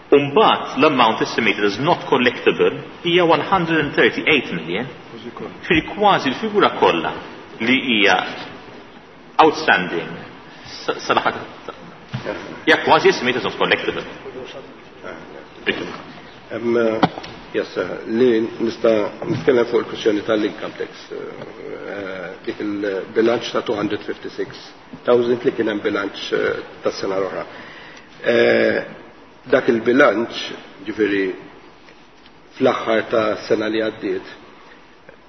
Umbat l-amount estimated as not collectible hija one hundred thirty-eight million. Ġifieri kważi l-figura kollha li hija outstanding sal-aħħar hija kważi estimated as not collectible. Yes, li nista' nitkellem fuq il-kwistjoni tal-income tax, dik il-bilanċ ta' two hundred fifty-six thousand li kien hemm bilanċ tas-sena l-oħra. Dak il-bilanċ, ġifieri fl-aħħar ta' sena li għaddiet,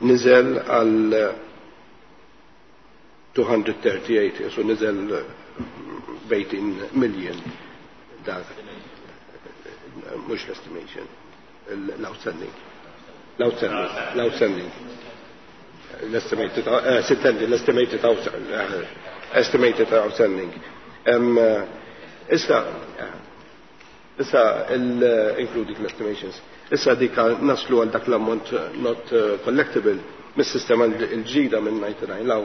niżel għal two hundred thirty-eight, so niżel eighteen million dak, mhux l-estimation, l-outstanding. L-outstanding, l-outstanding. L-estimated, eh, sintendi, l-estimated estimated outstanding. Issa, issa including l-estimations, issa dik naslu għal dak l-ammont not collectible mis-sistema l-ġdida minn ninety-nine law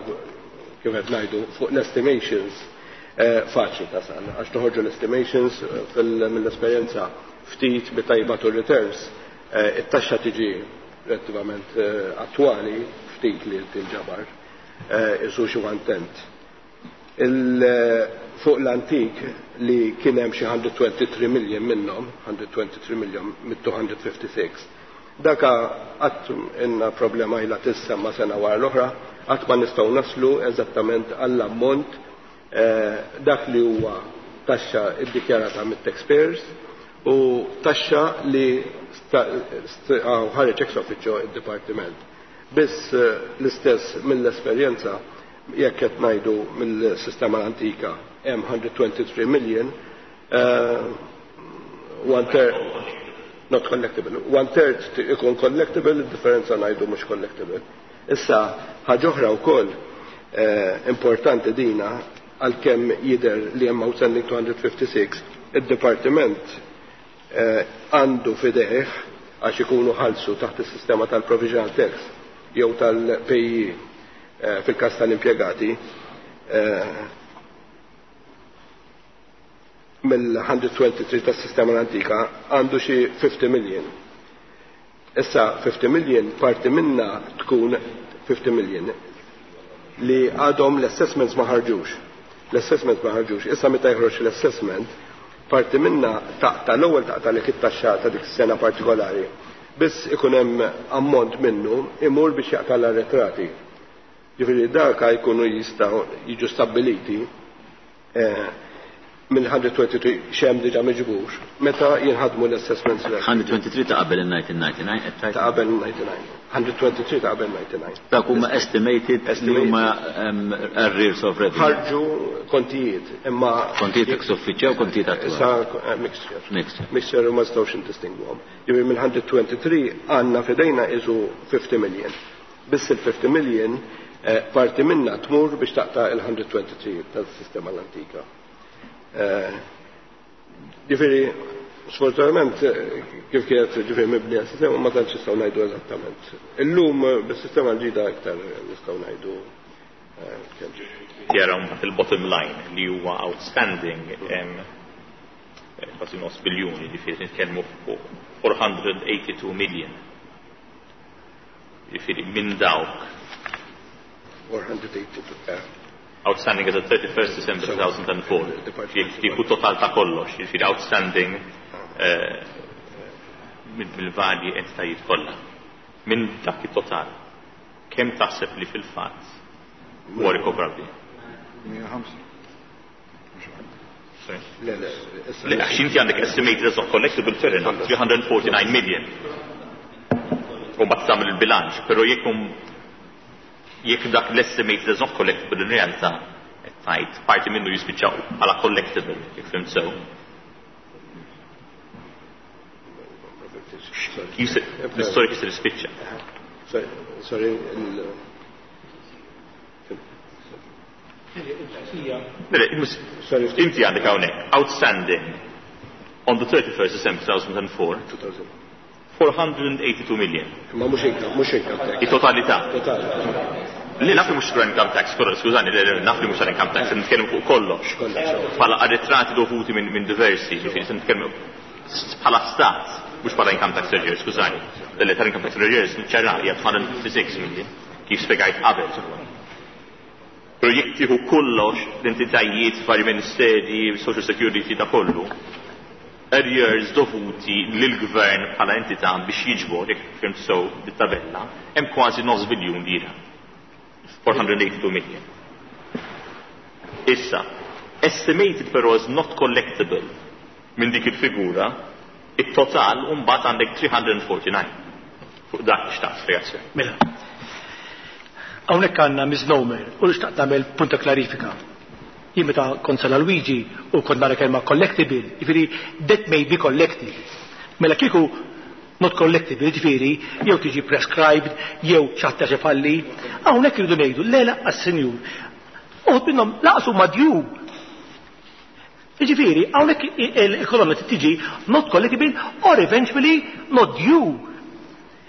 kif qed ngħidu fuq l-estimations faċli tasal, għax toħorġu l-estimations mill-esperjenza ftit bi tajba tu returns It-taxxa tiġi relattivament attwali ftit li tinġabar, isu xi one tenth. Fuq l-antik li kien hemm xi one hundred twenty-three million minnhom, one hundred twenty-three million mit two hundred fifty-six. Daka qatt inna problema ilha tissemma sena wara l-oħra, qatt ma nistgħu naslu eżattament għall-ammont dak li huwa taxxa iddikjarata mit-taxpayers u taxxa li ħareġ ex officio id-dipartiment. Biss l-istess mill-esperjenza, jekk qed ngħidu mill-sistema l-antika hemm one hundred twenty-three million, one third not collectible, one third ikun collectible, il-differenza ngħidu mhux collectible. Issa ħaġa oħra wkoll importanti dina, għalkemm jidher li hemm outstanding two hundred fifty-six, id-dipartiment għandu fidejh, għax ikunu ħalsu taħt is-sistema tal-provisional tax jew tal-P A Y E fil-każ tal-impjegati, mill one hundred twenty-three tas-sistema l-antika għandu xi fifty million. Issa fifty million parti minna tkun fifty million li għadhom l-assessments ma ħarġux. L-assessment ma ħarġux. Issa meta jħroġ l-assessment, parti minna taqta l-ewwel taqta li it-taxxa ta' dik is-sena partikolari. Biss ikun hemm ammont minnu imur biex jaqta' l-arretrati. Ġifieri daka jkunu jistgħu jiġu stabbiliti minn one hundred twenty-three x'hemm diġà miġbur meta jinħadmu l-assessments. one hundred twenty-three ta' qabel il-nineteen ninety-nine qed tgħid? Ta' qabel il-ninety-nine. one hundred twenty-three ta' qabel ninety-nine. Dak huma estimated li huma arrears of revenue. Ħarġu kontijiet, imma Kontijiet ex officio u kontijiet attwali? Issa mixture. Mixture. Mixture u ma nistgħux indistingwhom. Ġifieri minn one hundred twenty-three għandna fidejna isu fifty million. Biss il-fifty million parti minna tmur biex taqta' il-one hundred twenty-three tas-sistema l-antika. Ġifieri, sfortunatament, kif kienet ġifieri mibnija s-sistema, ma tantx nistgħu ngħidu eżattament. Illum bis-sistema l-ġdida iktar nistgħu ngħidu kemm. Jara mbagħad il-bottom line li huwa outstanding kważi nofs biljuni, ġifieri nitkellmu fuq four hundred eighty-two million. Ġifieri minn dawk four hundred eighty-two. Outstanding as at thirty-first December two thousand four. Jekk total ta' kollox, jiġifieri outstanding mill-varji entitajiet kollha. Minn dak it-total, kemm taħseb li fil-fatt huwa rikobrabbli? Le, le. Le, għax inti għandek estimated as of collectible, fair enough, three hundred forty-nine million. U mbagħad tagħmel il-bilanċ, però jekk jekk dak l-estimated as not collectible in realtà qed tgħid parti minnu jispiċċaw bħala collectible, jekk fhimt sew. L-istorja kif se tispiċċa? Sorry, sorry, il- Inti għandek hawnhekk outstanding on the thirty-first December two thousand four four hundred eighty-two million. Ma mhux income, mhux income tax. Il-totalità. Total. Li naf li mhux income tax, skużani, naf li mhux income tax, nitkellmu fuq kollox. Bħala arretrati dovuti minn min diversi, ġifieri se nitkellmu bħala stat, mhux bħala income tax arrears, skużani. Li tal-income tax arrears niċċara hija two hundred fifty-six million, kif spjegajt qabel. Però jekk tieħu kollox l-entitajiet, vari ministeri, social security, da kollu, arrears dovuti lill-gvern bħala entità biex jiġbor, jekk fhimt sew bit-tabella, hemm kważi nofs biljun lira. four hundred eighty-two million. Issa, estimated però as not collectible minn dik il-figura, it-total mbagħad għandek three hundred forty-nine. Fuq dak xtaqt spjegazzjoni. Mela. Hawnhekk għandna misnomer u xtaqt nagħmel punta klarifika. Jien meta kont Sala Luigi u kont nara kelma collectible, jiġifieri that may be collected. Mela kieku not collectible, jiġifieri jew tiġi prescribed jew xi ħaġa falli. Hawnhekk irridu ngħidu le, laqqas, senjur. Uħud minnhom lanqas huma due. Jiġifieri hawnhekk il-kolonna tiġi not collectible or eventually not due.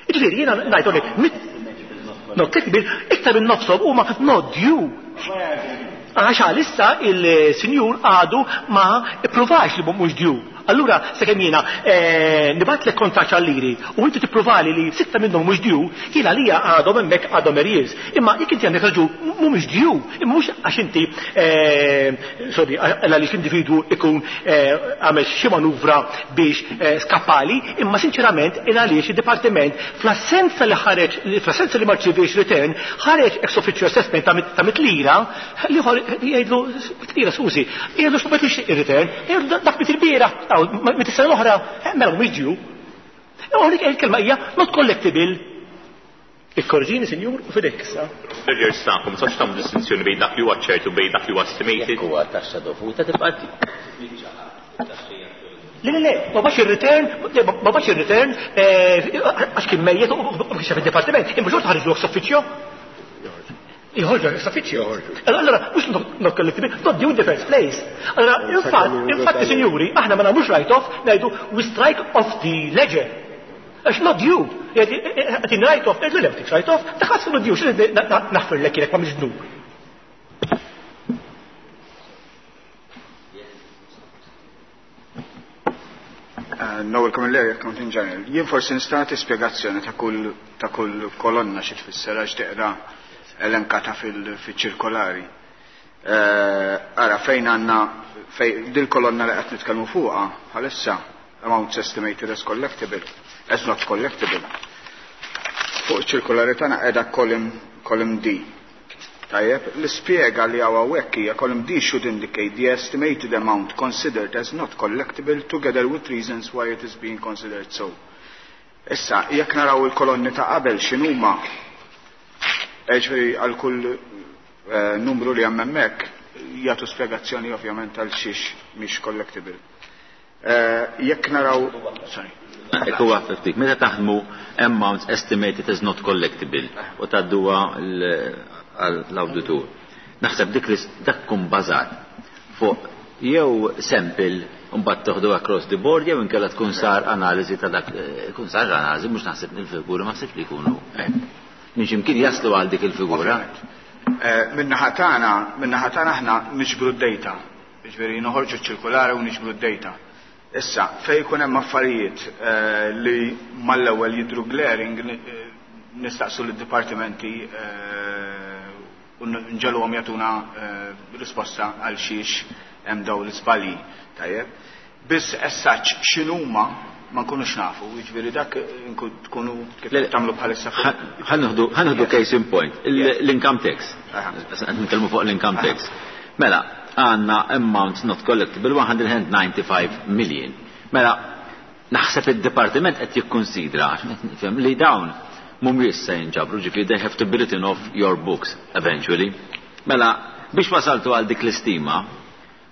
Jiġifieri jiena ngħid hawnhekk not collectible, iktar minn nofshom huma not due. Għax għalissa il-sinjur għadu ma ppruvax li mhux due. Allura sakemm jiena nibgħatlek kontaġġ għal-liri u inti tippruvali li sitta minnhom mhux due, jiena għalija għadhom hemmhekk għadhom arrears. Imma jekk inti għandek raġun mhumiex due, imma mhux għax inti sorry, għaliex l-individwu ikun għamel xi manuvra biex skappali, imma sinċerament il għaliex id-dipartiment fl-assenza li ħareġ, fl-assenza li ma rċiviex return, ħareġ ex officio assessment ta' mitt lira li jgħidlu mitt lira skużi, jgħidlu x'ma ir-return, jgħidlu dak mit il-bieraħ, mit is-sena l-oħra, mela mhumiex due. Hawnhekk il-kelma hija not collectible. Ikkorġini, sinjur, u fidejk issa. Arrears tagħkom, ma tistax tagħmlu distinzjoni bejn dak li huwa ċert u bejn dak li huwa estimated. Jekk huwa taxxa dovuta tibqa' Le, le, le, ma bax il-return, ma bax il-return, għax kien mejjet u kien xef il-departiment, imma xorta ħarġu ex officio. Jħorġu ex officio. Allora, mhux not collectible, not due in the first place. Allora, infatti, infatti, sinjuri, aħna ma nagħmlux write-off, ngħidu we strike off the ledger. Għax not due. Għatin write-off, ngħidu le, write-off, taħassu not due, x'in naħfirlek jekk ma mhix dnub. Noel Camilleri, Accountant General. Jien forsi nista' nagħti spjegazzjoni ta' kull ta' kull kolonna xi tfisser għax teqra elenkata fil-ċirkolari. Ara fejn għandna fej dil kolonna li qed nitkellmu fuqha bħalissa amounts estimated as collectible, as not collectible. Fuq ċirkolari tagħna qiegħda column column D. Tajjeb, l-ispjega li hawn hawnhekk hija column D should indicate the estimated amount considered as not collectible together with reasons why it is being considered so. Issa, jekk naraw il-kolonni ta' qabel x'inhuma, ġifieri għal kull numru li hemm hemmhekk jagħtu spjegazzjoni ovvjament għal xiex mhix collectible. Jekk naraw, sorry. Ekku waħda ftit, meta taħdmu amounts estimated as not collectible u tgħadduha l-awditur. Naħseb dik li dak tkun bażat fuq jew sample mbagħad toħdu across the board jew inkella tkun sar analiżi ta' dak, tkun sar analiżi mhux naħseb il-figura ma naħsibx li jkunu hekk. Minn x'imkien jaslu għal dik il-figura. Min-naħa tagħna, min-naħa tagħna aħna niġbru d-data. Jiġifieri noħorġu ċ-ċirkolari u niġbru d-data. Issa, fejn jkun hemm affarijiet li mal-ewwel jidhru glaring nistaqsu lid-dipartimenti u nġeluhom jagħtuna risposta għal xiex hemm dawn l-iżbalji. Tajjeb. Biss essaċ x'inhuma ma nkunux nafu, jiġifieri dak tkunu kif tagħmlu bħalissa. Ħa nieħdu case in point, l-income tax. Qed nitkellmu fuq l-income tax. Mela, għandna amounts not collectible one hundred ninety-five million. Mela, naħseb id-dipartiment qed jikkunsidra nifhem li dawn mhumiex se jinġabru, ġifieri they have to be written off your books eventually. Mela, biex wasaltu għal dik l-istima,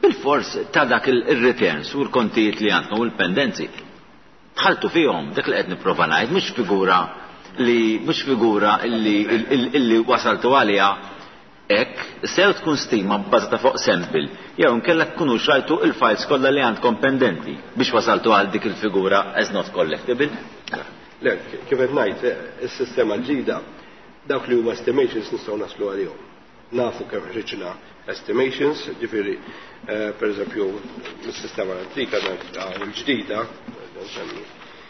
bil-fors ta' dak il-returns u l-kontijiet li għandkom u l-pendenzi, dħaltu fihom dak li qed nipprova ngħid, mhux figura li mhux figura illi illi wasaltu għaliha hekk, sew tkun stima bbażata fuq sample, jew inkella tkunu xrajtu il-files kollha li għandkom pendenti biex wasaltu għal dik il-figura as not collectible. Le, kif qed ngħid, is-sistema l-ġdida dawk li huma estimations nistgħu naslu għalihom. Nafu kemm ħriġna estimations, ġifieri pereżempju mis-sistema l-antika u l-ġdida,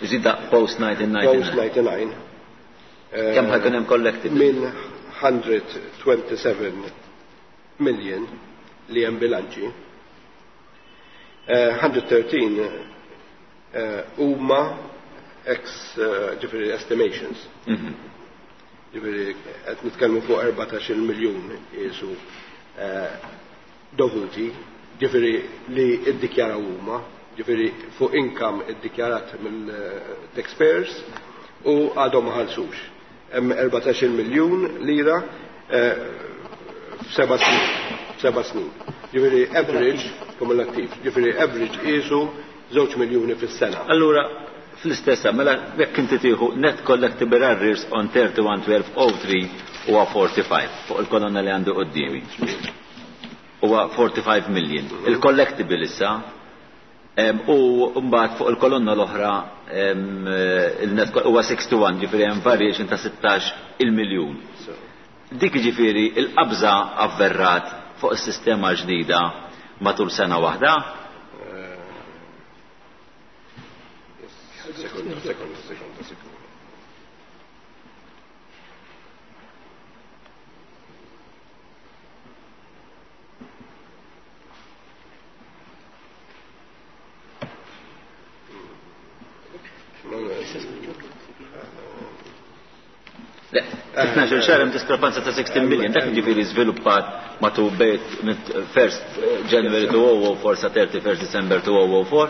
Ġdida post nineteen ninety-nine. Post ninety-nine. Kemm ħajkun hemm collectible? Minn hundred twenty-seven million li hemm bilanċi, hundred thirteen huma ex ġifieri estimations. Ġifieri qed nitkellmu fuq erbatax-il miljun qisu dovuti, ġifieri li ddikjaraw huma, ġifieri fuq income iddikjarat mill-taxpayers u għadhom ma ħallsux. Hemm erbatax-il miljun lira f'seba' snin, f'seba' snin. Ġifieri average kumulattiv, ġifieri average qisu żewġ miljuni fis-sena. Allura fl-istessa, mela jekk inti tieħu net collectible arrears on thirty-one twelve oh three huwa forty-five fuq il-kolonna li għandu quddiemi. Huwa forty-five million. Il-collectible issa u mbagħad fuq il-kolonna l-oħra il-net huwa sixty-one, ġifieri hemm variation ta' sittax il-miljun. Dik ġifieri il-qabża avverrat fuq is-sistema ġdida matul sena waħda? Sekonda, sekonda, sekonda, sekonda. Le, tnax-il xahar hemm diskrepanza ta' sixteen million, dak jiġifieri żviluppat matul bejn first January two oh oh four sa thirty-first December two oh oh four.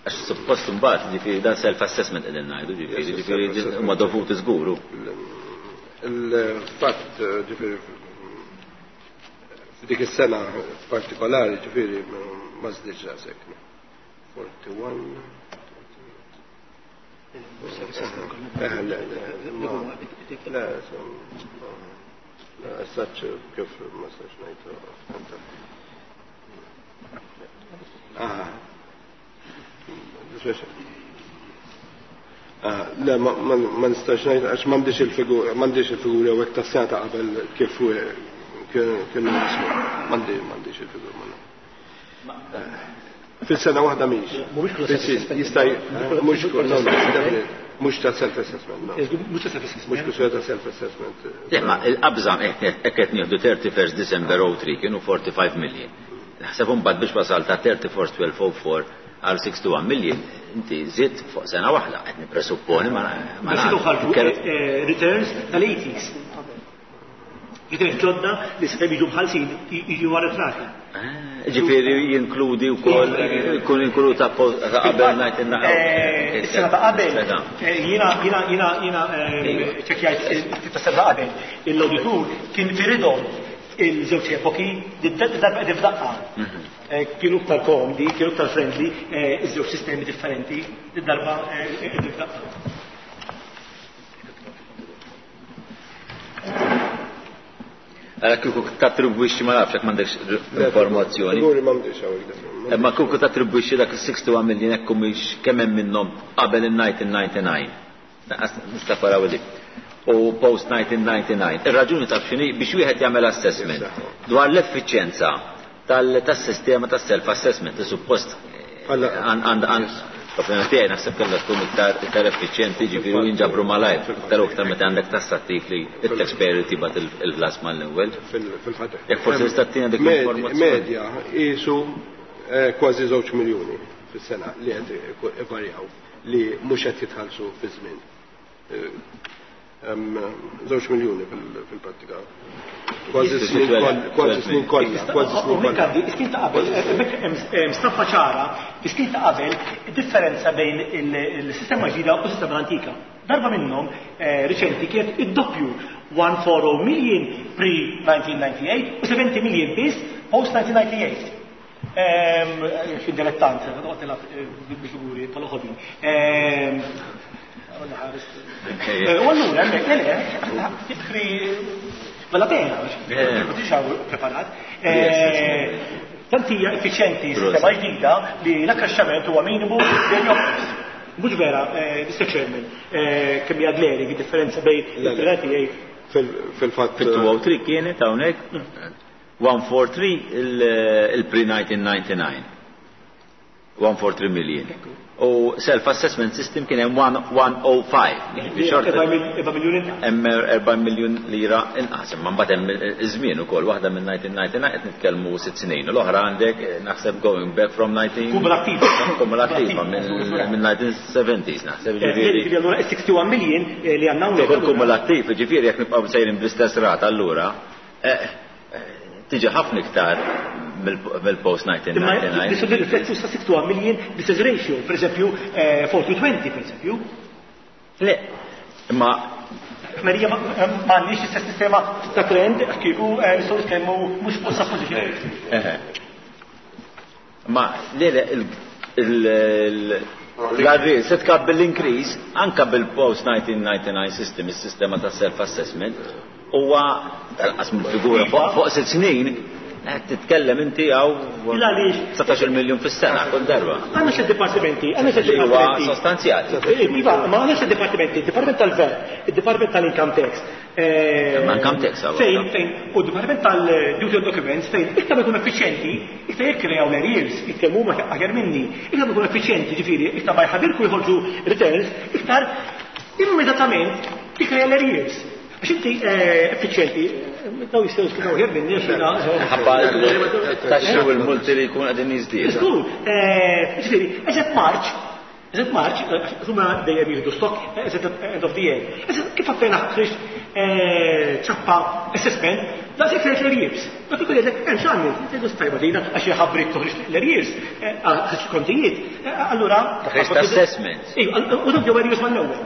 Għax suppost imbagħad jiġifieri dan self-assessment qegħdin ngħidu, jiġifieri, jiġifieri huma dovuti żguru. Il-fatt jiġifieri f'dik is-sena partikolari jiġifieri ma żdiedx daqshekk. forty-one. Eh, le, le, le, le, saċ kif ma saċ ngħidu. Ah. Le, ma nistax ngħid għax m'għandix il-figura, m'għandix il-figura u hekk tas-sena ta' qabel kif kienu nismu. M'għandix il-figura. Fil-sena waħda mhix. Jista' mhux mhux ta' self-assessment. Mhux ta' self-assessment. Mhux kwistjoni ta' self-assessment. Le, ma il-qabża hekk qed nieħdu thirty-first December oh three kienu forty-five million. Naħseb imbagħad biex wasal ta' thirty-first twelve oh four għal sixty-one million, inti żidt fuq sena waħda, qed nippresupponi ma nafx. ħarġu returns tal-eighties. Returns ġodda li se jiġu mħallsin jiġu arretrati. Ġifieri jinkludi wkoll jkun inkludu ta' qabel nineteen ninety. Is-sena ta' qabel jiena jiena jiena jiena ċekkjajt ta' sena qabel l-auditur kien firidhom il-żewġ epoki darba qegħdin f'daqqa. Kienu iktar komdi, kienu iktar friendly, iż-żewġ sistemi differenti, darba qegħdin f'daqqa. Għala kieku tattribwixxi ma nafx jekk m'għandekx informazzjoni. Figuri m'għandix hawnhekk. Imma kieku tattribwixxi dak is-sixty-one million hekk humiex kemm hemm minnhom qabel in-nineteen ninety-nine. Nista' paraw dik. U post nineteen ninety-nine. Ir-raġuni taf x'inhi biex wieħed jagħmel assessment dwar l-effiċjenza tas-sistema tas-self-assessment li suppost għand l-opinjoni tiegħi naħseb kellha tkun iktar iktar effiċjenti, ġifieri jinġabru malajr, iktar u iktar meta għandek tassattiv li it-taxpayer tibgħat il-ħlas mal-ewwel. Fil-fatt. Jekk forsi tista' ttina dik l-informazzjoni. Medja qisu kważi żewġ miljuni fis-sena li qed ivarjaw li mhux qed jitħallsu fi żmien. Żewġ miljuni fil-prattika. Kważi snin kważi snin kollha, kważi snin kollha. Is-snin ta' qabel, hemm stampa ċara, is-snin ta' qabel differenza bejn il-sistema ġdida u s-sistema antika. Darba minnhom riċenti kienet id-doppju one four oh million pre nineteen ninety-eight u seventy million biss post nineteen ninety-eight. Fid-dilettant, noqgħod nilgħab bil-figuri tal-oħodin. U allura hemmhekk le le, bella pena, ma tix preparat. Tant hija effiċjenti sistema ġdida li l-akkraxxament huwa minimu dejjem joqgħod. Mhux vera, Mister Chairman, kemm hija glaring id-differenza bejn il-privati fil-fatt. Fit-two oh three kienet hawnhekk one four three il-pre nineteen ninety-nine. one four three million. U self-assessment system kien hemm one oh five. Hemm erba' miljun lira inqas, imma mbagħad hemm iż-żmien ukoll, waħda minn nineteen ninety-nine qed nitkellmu sitt snin, u l-oħra għandek naħseb going back from nineteen Kumulattiva. Kumulattiva minn nineteen seventies naħseb, ġifieri. Ġifieri allura sixty-one million li għandna hawnhekk. Tkun kumulattiv, ġifieri jekk nibqgħu sejrin bl-istess rata allura tiġi ħafna iktar mill-post nineteen ninety-nine. Imma nirriflettu sa sixty-one million bl-istess ratio, per eżempju four to twenty, per eżempju. Le, imma Marija ma għandniex l-istess sistema ta' trend kieku nistgħu nitkellmu mhux fuq supposition. Ma le le l-arri se tkabbel l-increase anka bil-post nineteen ninety-nine system, is-sistema ta' self-assessment, huwa tal-qas mill-figura fuq sitt snin Qed titkellem inti hawn dsatax-il miljun fis-sena kull darba. Għandna xi dipartimenti, għandna xi dipartimenti. Huwa sostanzjali. Iva, ma għandna xi dipartimenti, id-Dipartiment tal-V A T, id-Dipartiment tal-Income Tax. Ma Income Tax hawn. Fejn, fejn, u d-Dipartiment tal-Duty on Documents fejn iktar ma jkun effiċjenti, iktar jikkrejaw l-arrears, jitkellmu huma aħjar minni, iktar ma jkun effiċjenti, ġifieri, iktar ma jħabirku jħorġu returns, iktar immedjatament tikkreja l-arrears. Għax inti effiċjenti, daw jistgħu jispjegaw aħjar minni għax jiena. Ħabba taxxi u l-multi li jkun qegħdin jiżdiedu. Żgur, ġifieri, eżatt March, eżatt March, huma dejjem jieħdu stock eżatt end of the year. Eżatt kif appena ħriġt ċappa assessment, da se jkun l-arrears. Dak ikun jgħidlek hemm x'għamil, tgħidu stajba dina għax jħabbrik toħroġ l-arrears, ħriġt kontijiet. Allura ħriġt assessment. Ejju, u dak jew arrears mal-ewwel.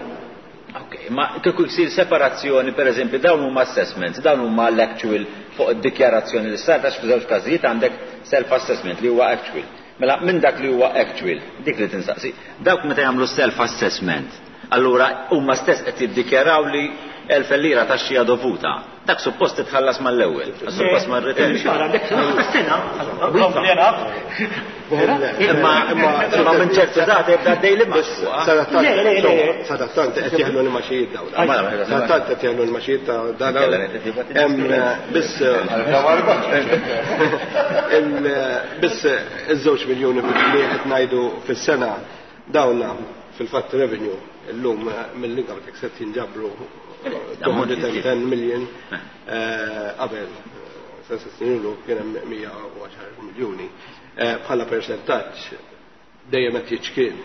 Ok, ma kieku jsir separazzjoni, per eżempju, dawn huma assessments, dawn huma l-actual fuq id-dikjarazzjoni li sar, għax f'żewġ każijiet għandek self-assessment li huwa actual. Mela minn dak li huwa actual, dik li tinsaqsi, dawk meta jagħmlu self-assessment, allura huma stess qed jiddikjaraw li elf lira taxxija dovuta. Dak suppost titħallas mal-ewwel, suppost mar-return. Imma imma minn ċertu data jibda għaddej li ma. Sadattant qed jeħlu l-maxijiet dawn. Sadattant qed jeħlu l-maxijiet ta' dan. Biss biss iż-żewġ miljuni li qed ngħidu fis-sena dawn fil-fatt revenue illum mill-income tax qed jinġabru two hundred and ten million qabel sa snin ilu kien hemm mija u għaxar miljuni. Bħala percentaġġ dejjem qed jiċkien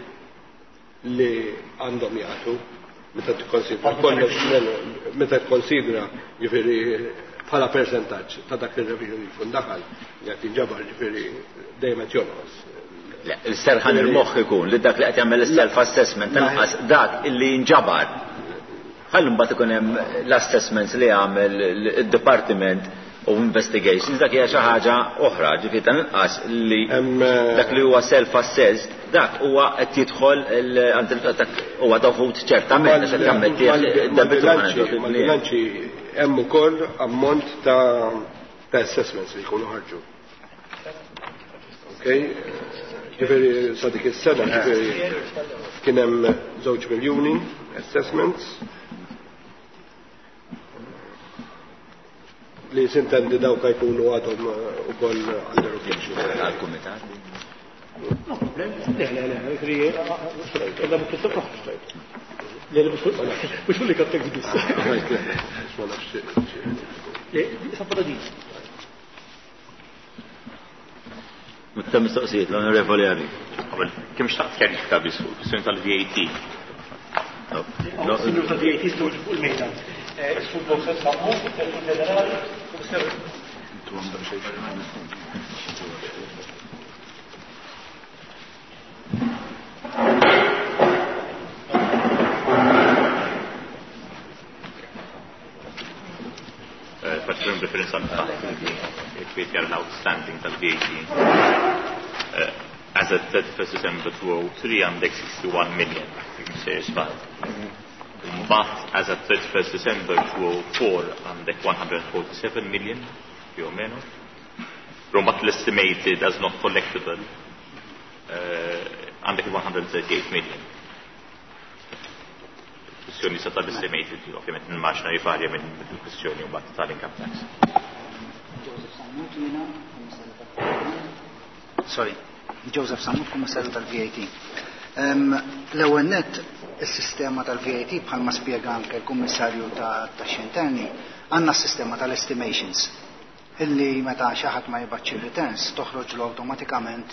li għandhom jagħtu meta tikkonsidra kollox meta tikkonsidra ġifieri bħala percentaġġ ta' dak ir-revenue li jkun daħal li qed jinġabar ġifieri dejjem qed jonqos. Il-serħan il-moħħ ikun li dak li qed jagħmel is-self-assessment inqas dak illi jinġabar. Ħallu mbagħad ikun hemm l-assessments li jagħmel id-department of investigations, dak hija xi ħaġa oħra, ġifieri ta' inqas li dak li huwa self-assessed, dak huwa qed jidħol dak huwa dovut ċertament għax qed jammetti id-debitu. Mal-bilanċi hemm ukoll ammont ta' assessments li jkunu ħarġu. Okej? Ġifieri sa dik is-sena ġifieri kien hemm żewġ miljuni assessments li sintendi dawk jkunu għadhom ukoll under objection. Għall-kumitat. No problem. Le, le, le, le, mhux li kaptek biss. Mutta mistoqsijiet, l-Onorevoli Għali. Kemm xtaqt kjarifika biss fuq il-kwistjoni tal-V A T? Signor tal-V A T, fuq il-mejda. Sul Bosset Sammu, Direttur Ġenerali, Kummissarju. Faċilment referenza għal l-outstanding tal-V A T. As at thirty-first December two oh three għandek sixty-one million, sejjer żball. But as at thirty-first December two oh four għandek one hundred forty-seven million, più o meno. But l-estimated as not collectible għandek one hundred thirty-eight million. Kwestjoni sa tal-estimated, ovvjament nimmaġna jivarja minn kwestjoni u bat tal-income tax. Joseph Sammut jiena, Sorry, Joseph Sammut, Kummissarju tal-V A T. L-ewwel nett is-sistema tal-V A T bħalma spjega anke l-Kummissarju ta' Taxxi Interni, għandna s-sistema tal-estimations illi meta xi ħadd ma jibgħatx ir-returns toħroġlu awtomatikament.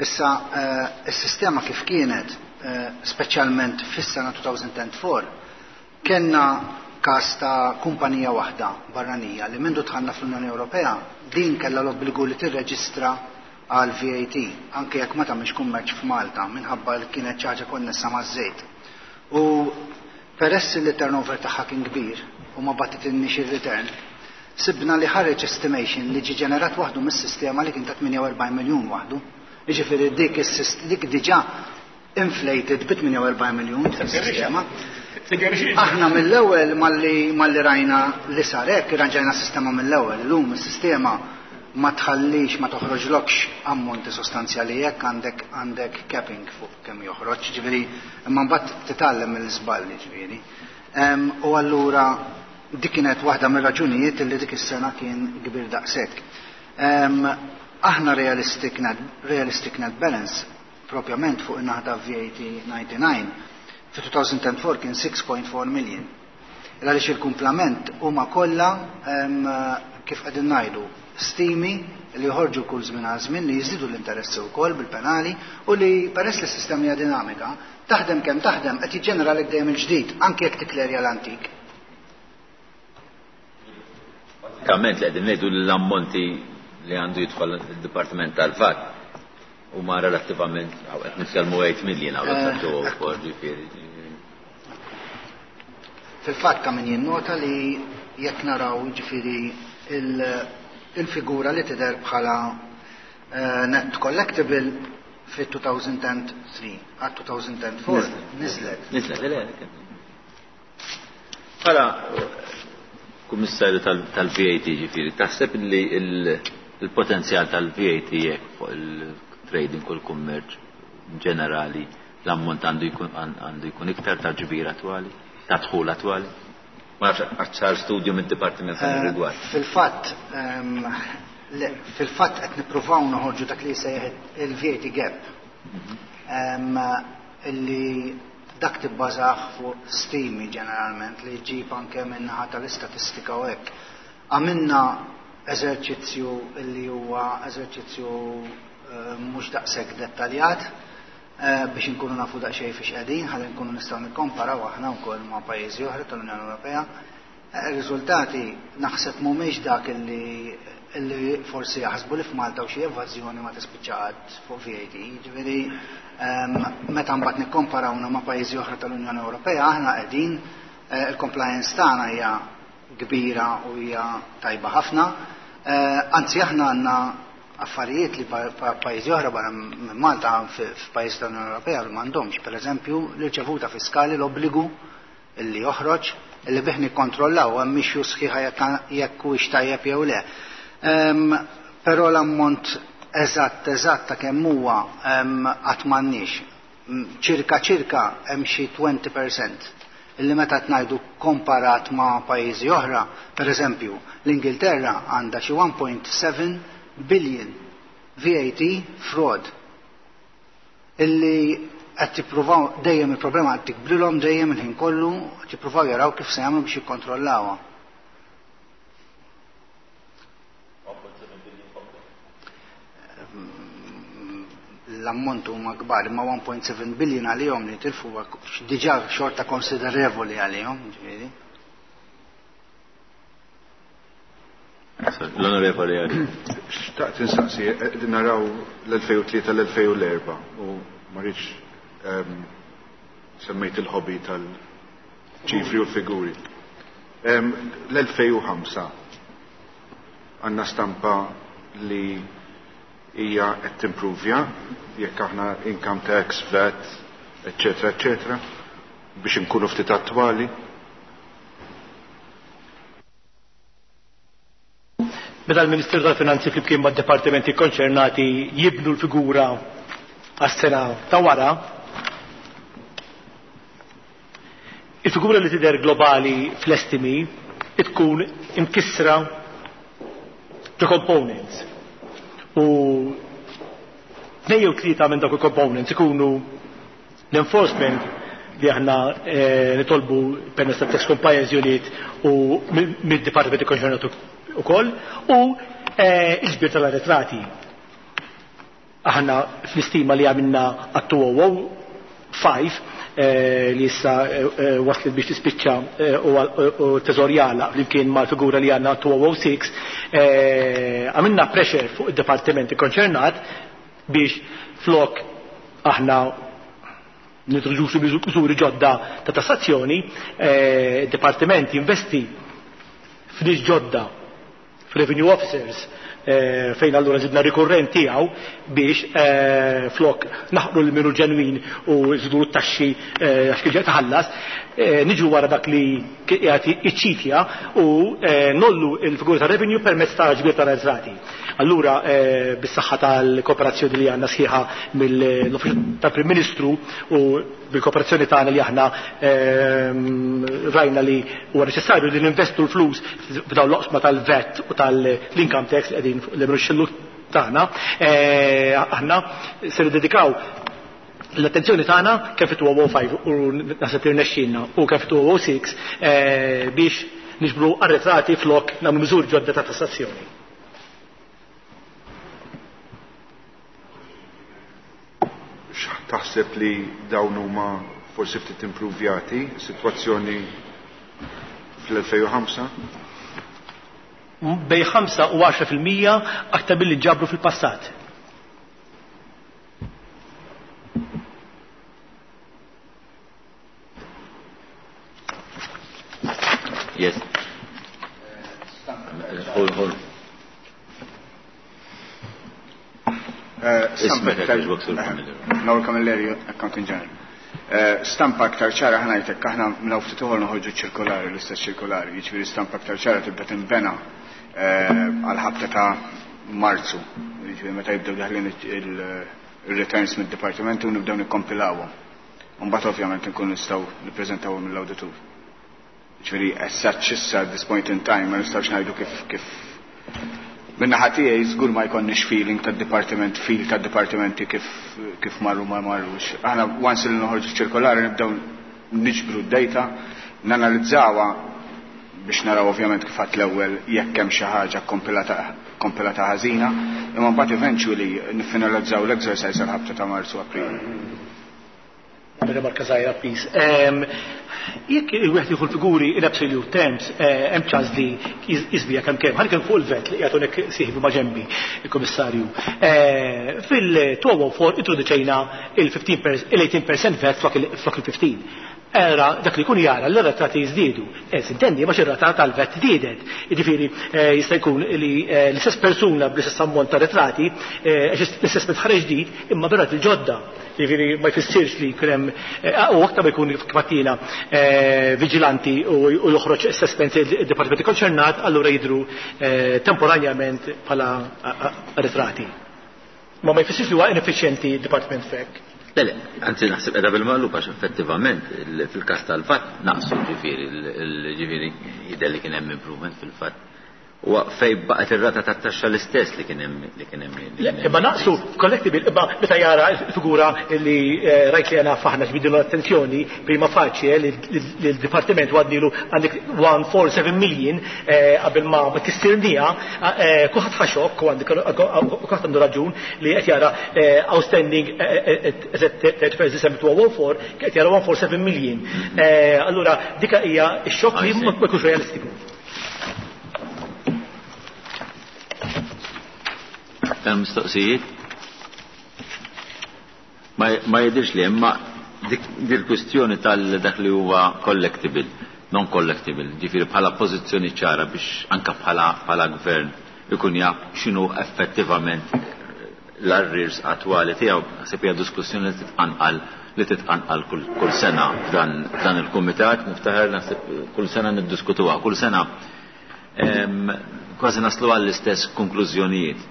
Issa is-sistema kif kienet, speċjalment fis-sena two thousand and four, kellna każ ta' kumpanija waħda barranija li mindu dħalna fl-Unjoni Ewropea din kellha l-obbligu li tirreġistra għal V A T anke jekk ma tagħmilx kummerċ f'Malta minħabba li kienet xi ħaġa konnessa maż-żejt. U peress li t-turnover tagħha kien kbir u ma bagħtitilniex ir-return, sibna li ħareġ estimation li ġie ġenerat waħdu mis-sistema li kien ta' tmienja u erbgħin miljun waħdu. Jiġifieri dik is-sist-, dik diġà inflated bi tmienja u erbgħin miljun fis-sistema. Aħna mill-ewwel malli, malli rajna li sar hekk, irranġajna s-sistema mill-ewwel. Illum is-sistema ma tħallix, ma toħroġlokx ammonti sostanzjali jekk għandek għandek capping fuq kemm joħroġ, ġifieri imma mbagħad titgħallem mill-iżballi ġifieri. U allura dik kienet waħda mir-raġunijiet li dik is-sena kien kbir daqshekk. Aħna realistic net, realistic net balance propjament fuq in-naħa ta' V A T ninety-nine fi two thousand four kien six point four million. Għaliex il-kumplament huma kollha kif qegħdin ngħidu stimi li joħorġu kull żmien għal żmien li jiżidu l-interessi wkoll bil-penali u li peress li s-sistema hija dinamika taħdem kemm taħdem qed jiġġeneralek dejjem il-ġdid anke jekk tiklerja l-antik. Bażikament li qegħdin ngħidu l-ammonti li għandu jidħol id-Dipartiment tal-V A T huma relattivament qed nitkellmu eight million hawn qed ġifieri. Fil-fatt ta' min jinnota li jekk naraw ġifieri il-figura li tidher bħala net collectible fi two thousand three għal two thousand four niżlet. Niżlet, le, Bħala kummissarju tal-V A T ġifieri, taħseb li il-potenzjal tal-V A T jekk fuq il-trading u l-kummerċ ġenerali l-ammont għandu jkun għandu jkun iktar ta' ġbir attwali, ta' dħul attwali? Ma nafx għax sar studju mid-dipartiment f'dan ir-rigward. Fil-fatt fil-fatt qed nippruvaw noħorġu dak li jsejjaħ il-V A T gap. Illi dak tibbażah fuq stimi ġeneralment li jġib anke min-naħa tal-istatistika u hekk. Għamilna eżerċizzju li huwa eżerċizzju mhux daqshekk dettaljat biex inkunu nafu daqsxejn fiex qegħdin, ħalli nkunu nistgħu nikkomparaw aħna wkoll ma' pajjiżi oħra tal-Unjoni Ewropea. Ir-riżultati naħseb mhumiex dak illi illi forsi jaħsbu li f'Malta u xi evażjoni ma tispiċċa qatt fuq V A T. Jiġifieri meta mbagħad nikkomparawna ma' pajjiżi oħra tal-Unjoni Ewropea aħna qegħdin il-compliance tagħna hija kbira u hija tajba ħafna. Anzi aħna għandna affarijiet li pajjiżi oħra barra minn Malta f'pajjiż tal-Unjoni Ewropea li m'għandhomx, pereżempju l-irċevuta fiskali l-obbligu illi joħroġ illi bih nikkontrollaw hemm mixju sħiħa jekk huwiex tajjeb jew le. Però l-ammont eżatt eżatt ta' kemm huwa qatt m'għandniex. Ċirka ċirka hemm xi twenty percent illi meta ngħidu komparat ma' pajjiżi oħra, pereżempju l-Ingilterra għandha xi one point seven billion V A T fraud illi qed tippruvaw dejjem il-problema qed tikbrilhom dejjem il-ħin kollu qed jippruvaw jaraw kif se jagħmlu biex jikkontrollawha. L-ammont huma kbar, imma one point seven billion għalihom li tilfu diġà xorta konsiderevoli għalihom, ġifieri. L-Onorevoli Għali. Xtaqt insaqsi, qegħdin naraw l-elfejn u tlieta l-elfejn u l-erba' u ma rridx semmejt il-hobby tal-ċifri u l-figuri. L-elfejn u ħamsa għandna stampa li hija qed timpruvja jekk aħna income tax, V A T, eċetera, eċetera, biex inkunu ftit attwali. Meta l-Ministeru tal-Finanzi flimkien mad-dipartimenti konċernati jibnu l-figura għas-sena ta' wara, il-figura li tidher globali fl-estimi tkun imkissra ġo components. U tnejn jew tlieta minn dawk il-components ikunu l-enforcement li aħna nitolbu permezz tat-Tax Compliance Unit u mid-dipartimenti konċernati ukoll u l-ġbir tal-arretrati. Aħna fl-istima li għamilna għat two oh five li issa waslet biex tispiċċa u teżorjala flimkien mal-figura li għandna two oh six, għamilna pressure fuq id-dipartimenti konċernat biex flok aħna nintroduċu miżuri ġodda ta' tassazzjoni, id-dipartiment jinvesti f'nies ġodda, f'revenue officers, fejn allura żidna rikurrent tiegħu biex flok naħqru l minu ġenwin u żidu t-taxxi għax kien taħallas, niġu wara dak li qiegħed iċċitja u nollu l-figura ta' revenue permezz ta' ġbir ta' arretrati. Allura bis-saħħa tal-kooperazzjoni li għandna sħiħa mill-Uffiċċju tal-Prim Ministru u bil-kooperazzjoni tagħna li aħna rajna li huwa neċessarju li ninvestu l-flus f'dawn l-oqsma tal-V A T u tal-income tax li qegħdin l-emruxxillu tagħna, aħna se niddedikaw l-attenzjoni tagħna kemm fit-elfejn u ħamsa u naħseb li rnexxielna u kemm fit-elfejn u sitta biex niġbru arretrati flok nagħmlu miżuri ġodda ta' tassazzjoni. Taħseb li dawn huma forsi ftit improvjati, sitwazzjoni fl-elfejn u ħamsa? Bejn ħamsa u għaxra fil-mija aktar milli ġabru fil-passat. Yes. Hold, hold. Ismek Noel Camilleri, Accountant General. Stampa aktar ċara ħa ngħidlek, aħna minn ftit uħor noħorġu ċirkolari, l-istess ċirkolari, jiġifieri stampa aktar ċara tibda tinbena għal-ħabta ta' Marzu, jiġifieri meta jibdew daħlin il-returns mid-dipartimenti u nibdew nikkompilawhom. Mbagħad ovvjament nkun nistgħu nippreżentawhom mill-awditur. Jiġifieri as such issa at this point in time ma nistgħux ngħidu kif kif Minna tiegħi żgur ma jkollniex feeling tad-dipartiment, feel tad-dipartimenti kif kif marru ma marrux. Aħna once li noħorġu ċirkolari nibdew niġbru d-data, nanalizzawha biex naraw ovvjament kif għat l-ewwel jekk hemm xi ħaġa kompilata kompilata ħażina, imma mbagħad eventually niffinalizzaw l-exercise għal ħabta ta' Marzu, April. Rimarka żgħira, please. Jekk il-wieħed jieħu l-figuri in absolute terms, hemm ċans li jiżbija kemm kemm. Ħa fuq il-V A T li qiegħed hawnhekk sieħbi ma' ġembi il-Kummissarju. Fil-elfejn u erba' introduċejna il-ħmistax il-tmintax fil-mija V A T flok il-ħmistax. Era dak li kun jara l-rata jiżdiedu. Eh, Sintendi, ma ir-rata tal-V A T żdiedet. Jiġifieri jista' jkun li l-istess persuna bl-istess ammont ta' retrati, l-istess ħareġ ġdid, imma bir il-ġodda. Jiġifieri ma jfissirx li jkun hemm u aktar ma jkun kif vigilanti u joħroġ assessment il-dipartimenti konċernat, allura jidru temporanjament bħala retrati. Ma ma jfissirx li huwa ineffiċjenti d-dipartiment fek. Le, le, anzi naħseb edha bil-maqlub għax effettivament fil-kas tal-V A T naqsu, ġifieri, ġifieri jidher li kien hemm improvement fil-fatt. U fej baqgħet ir-rata tat-taxxa l-istess li kien hemm li kien hemm. Imma naqsu collectible, imma meta jara l-figura li rajt li għana faħna ġbidilu l-attenzjoni prima facie li l-dipartiment għadnilu għandek mija u seba' million qabel ma tistirnija, kulħadd ħaxok u għandek kulħadd għandu raġun li qed jara outstanding thirty-first December two thousand four, qed jara mija u seba' million. Allura dika hija x-xokk li ma jkunx realistiku. Hemm mistoqsijiet? Ma jidirx li imma dik il-kwistjoni tal-dak li huwa collectible, non collectible, ġifieri bħala pożizzjoni ċara biex anka bħala bħala gvern ikun jaf x'inhu effettivament l-arrears attwali tiegħu, naħseb hija diskussjoni li titqanqal li titqanqal kull, kull sena f'dan f'dan il-kumitat, niftaħar naħseb kull sena niddiskutuha, kull sena em, kważi naslu għall-istess konklużjonijiet.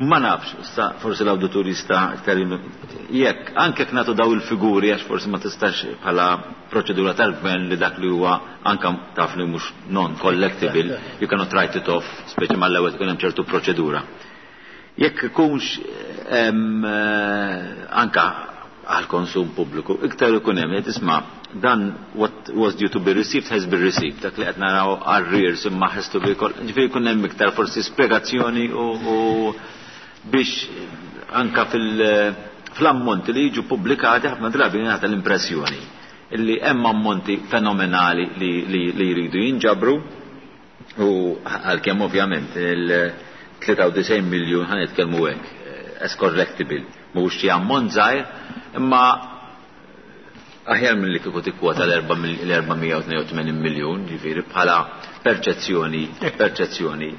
Ma nafx, sta, forsi l-awditur jista' iktar jekk anke jekk nagħtu daw il-figuri, għax forsi ma tistax bħala proċedura tal-gvern li dak li huwa anka taf li mhux non collectible, you cannot write it off, speċi mal-ewwel tkun hemm ċertu proċedura. Jekk ikunx em, eh, anka għal konsum pubbliku, iktar ikun hemm qed isma' dan what was due to be received has been received, dak li qed naraw arrears imma has to be, ġifieri jkun hemm iktar forsi spjegazzjoni u, u biex anka fil fl-ammonti li jiġu pubblikati ħafna drabi jingħata l-impressjoni illi hemm ammonti fenomenali li, li, li jridu jinġabru u għalkemm ovvjament il-tlieta u disgħin miljun ħa nitkellmu hekk as collectible mhux xi ammont żgħir, imma Aħjar minn li kieku tikkwota l-erba' mija u tnejn u tmenin miljun, ġifieri bħala perċezzjoni perċezzjoni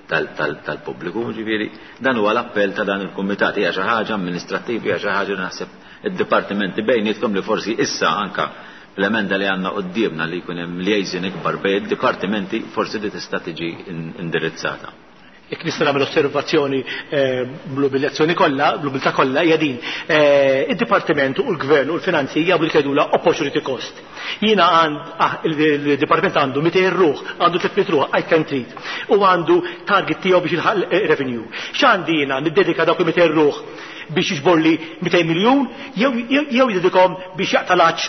tal-pubbliku, ġifieri dan huwa l-appell ta' dan il-kumitat, hija xi ħaġa amministrattiva, hija xi ħaġa li naħseb id-dipartimenti bejnietkom li forsi issa anka l-emenda li għandna quddiemna li jkun hemm liaison ikbar bejn id-dipartimenti forsi li tista' tiġi indirizzata. Jekk nista' nagħmel osservazzjoni bl-umiljazzjoni kollha, bl-umiltà kollha hija din. Id-dipartiment u l-gvern u l-finanzi jagħmlu jgħidulha opportunity cost. Jiena għand il-dipartiment għandu mitejn ruħ, għandu tliet mitt ruħ, I can treat. U għandu target tiegħu biex jilħaq revenue. X'għandi jiena niddedika dawk il-mitejn ruħ biex jiġborli mitejn miljun jew jew jidedikhom biex jaqta' l-għatx,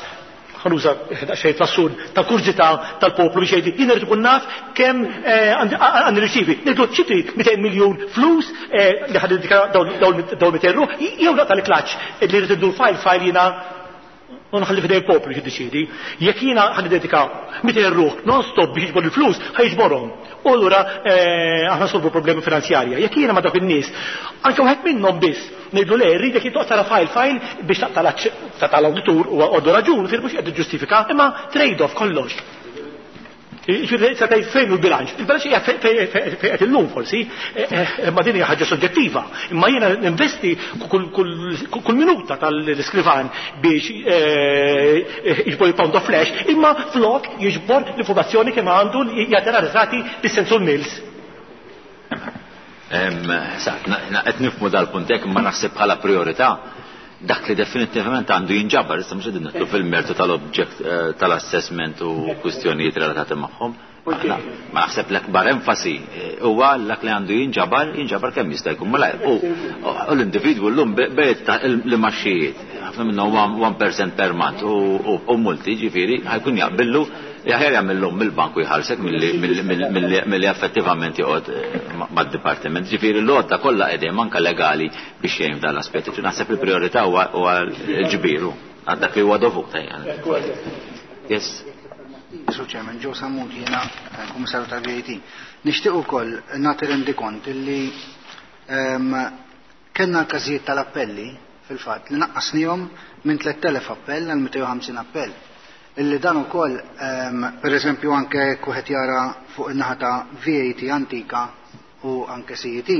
ħanuża xejn fl-assun tal-kurżità tal-poplu biex jgħid jien irid ikun naf kemm għandi nirċievi. Ngħidlu xi trid mitejn miljun flus li ħad dedika dawn mitejn ruħ, jew naqta' l-klaċċ li rrid indur file file jiena u nħalli f'idej il-poplu biex jiddeċiedi. Jekk jiena ħad dedika mitejn ruħ non-stop biex jiġbor il-flus, ħajġborhom. U allura aħna solvu problemi finanzjarja. Jekk jiena ma' dawk in-nies, anke wieħed minnhom biss ngħidlu le, rridek jittoq tara file file biex taqta' l-aċċ tal-awditur u għandu raġun, fil mhux qed tiġġustifika, imma trade-off kollox. Ġifieri se tgħid fejn hu l-bilanċ. Il-bilanċ hija fejn qed illum forsi, imma din hija ħaġa soġġettiva. Imma jiena ninvesti kull minuta tal-iskrivan biex jiġbor il-pound of flesh, imma flok jiġbor l-informazzjoni kemm għandu jagħti riżati bis-sensul mills. Qed nifhmu dal-punt hekk, imma naħseb bħala priorità dak li definitivament għandu jinġabar, issa mhux qegħdin nidħlu fil-mertu tal-object tal-assessment u kwistjonijiet relatati magħhom. Ma naħseb l-akbar enfasi huwa dak li għandu jinġabar, jinġabar kemm jista' jkun malajr. U l-individwu llum bejt l-imaxxijiet, ħafna minnhom one percent per month u multi, ġifieri ħajkun jaqbillu aħjar jagħmilhom mill-banku jħallsek milli effettivament joqgħod mad-dipartiment. Ġifieri l-għodda kollha qegħdin anke legali biex jgħin f'dan l-aspett. Naħseb il-priorità huwa l-ġbiru għal dak li huwa dovut. Yes. Sur Chairman, Joe Sammut, jiena Kummissarju tal-V A T. Nixtieq ukoll nagħti rendikont illi kellna l-każijiet tal-appelli fil-fatt li naqqasnihom minn tliet elef appell għal mitejn u ħamsin appell. Illi dan ukoll, per eżempju, anke wieħed jara fuq in-naħa ta' V A T antika u anke C E T,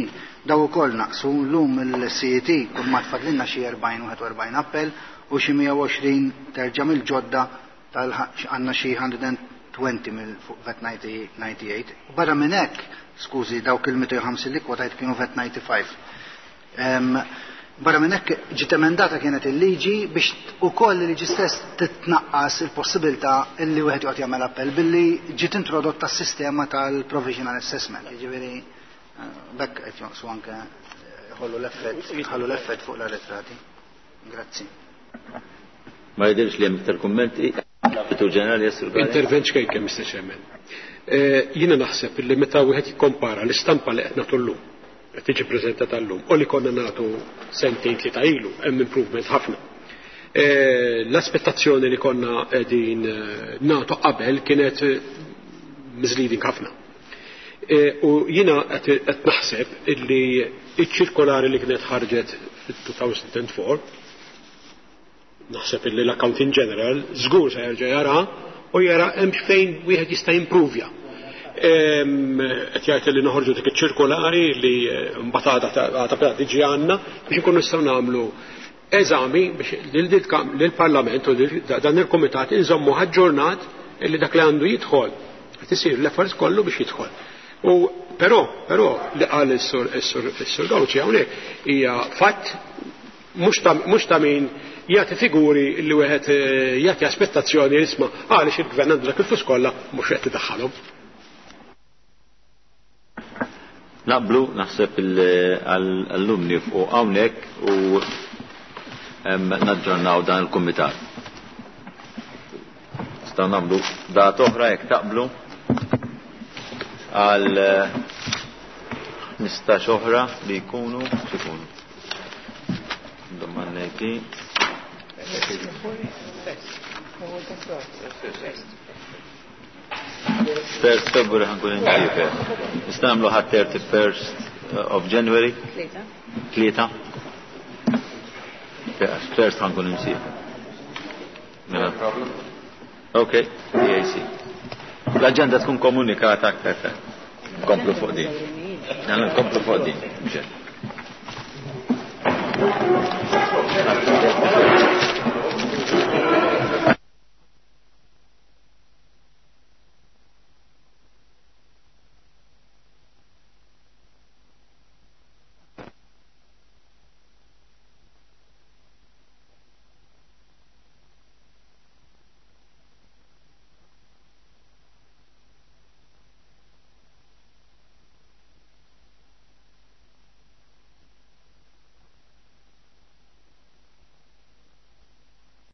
daw ukoll naqsu llum il-C E T kull ma tfadlilna xi erbgħin wieħed u erbgħin appell u xi mija u għoxrin terġa' mill-ġodda tal għandna xi hundred and twenty mill fuq V A T ninety-eight. U barra minn hekk, skużi, dawk il-mitejn u ħamsin li kwotajt kienu V A T ninety-five. Barra minn hekk ġiet emendata kienet il-liġi biex ukoll il-liġi stess titnaqqas il-possibilità illi wieħed joqgħod jagħmel appell billi ġiet introdotta s-sistema tal-provisional assessment. Jiġifieri bekk qed jonqsu anke ħollu l-effett, ħallu l-effett fuq l-arretrati. Grazzi. Ma jidhirx li hemm iktar kummenti. Direttur Ġenerali, yes, Sur Galea. Intervent xejn, Mister Chairman. Jiena naħseb li meta wieħed jikkompara l-istampa li qed nagħtu llum, qed tiġi preżentata llum, u li konna nagħtu sentejn tlieta ilu, hemm improvement ħafna. L-aspettazzjoni li konna qegħdin nagħtu qabel kienet misleading ħafna. U jiena qed naħseb illi iċ-ċirkolari li kienet ħarġet fit-two thousand and four, naħseb illi l-Accounting General żgur se jerġa' jara u jara hemm fejn wieħed jista' jimprovja. Qed jgħid li noħorġu dik iċ-ċirkolari li mbagħad għadha beda tiġi għandna biex inkunu nistgħu nagħmlu eżami biex lill-Parlament u dan il-Kumitat inżommu aġġornat illi dak li għandu jidħol qed isir l-efforts kollu biex jidħol. U però, però li qal is-sur, is-sur, is-sur Gauci hawnhekk hija fatt mhux ta' min jagħti figuri li wieħed jagħti aspettazzjoni isma' għaliex il-gvern għandu dak il-flus kollha mhux qed idaħħalhom. Naqblu naħseb għall-lum nifqu hawnhekk u naġġornaw dan il-kumitat. Nistgħu nagħmlu data oħra jekk taqblu għal ħmistax oħra li jkunu x'ikunu. Domandejti. First February ħankun inġifer. Nistgħu nagħmlu ħadd thirty first of January. Tlieta. Tlieta. First ħankun imsiefer. Mela. Ok, P A C. L-agenda tkun komunikata aktar tard. Nkomplu fuq din. Nagħmlu nkomplu fuq din. Mhux hekk.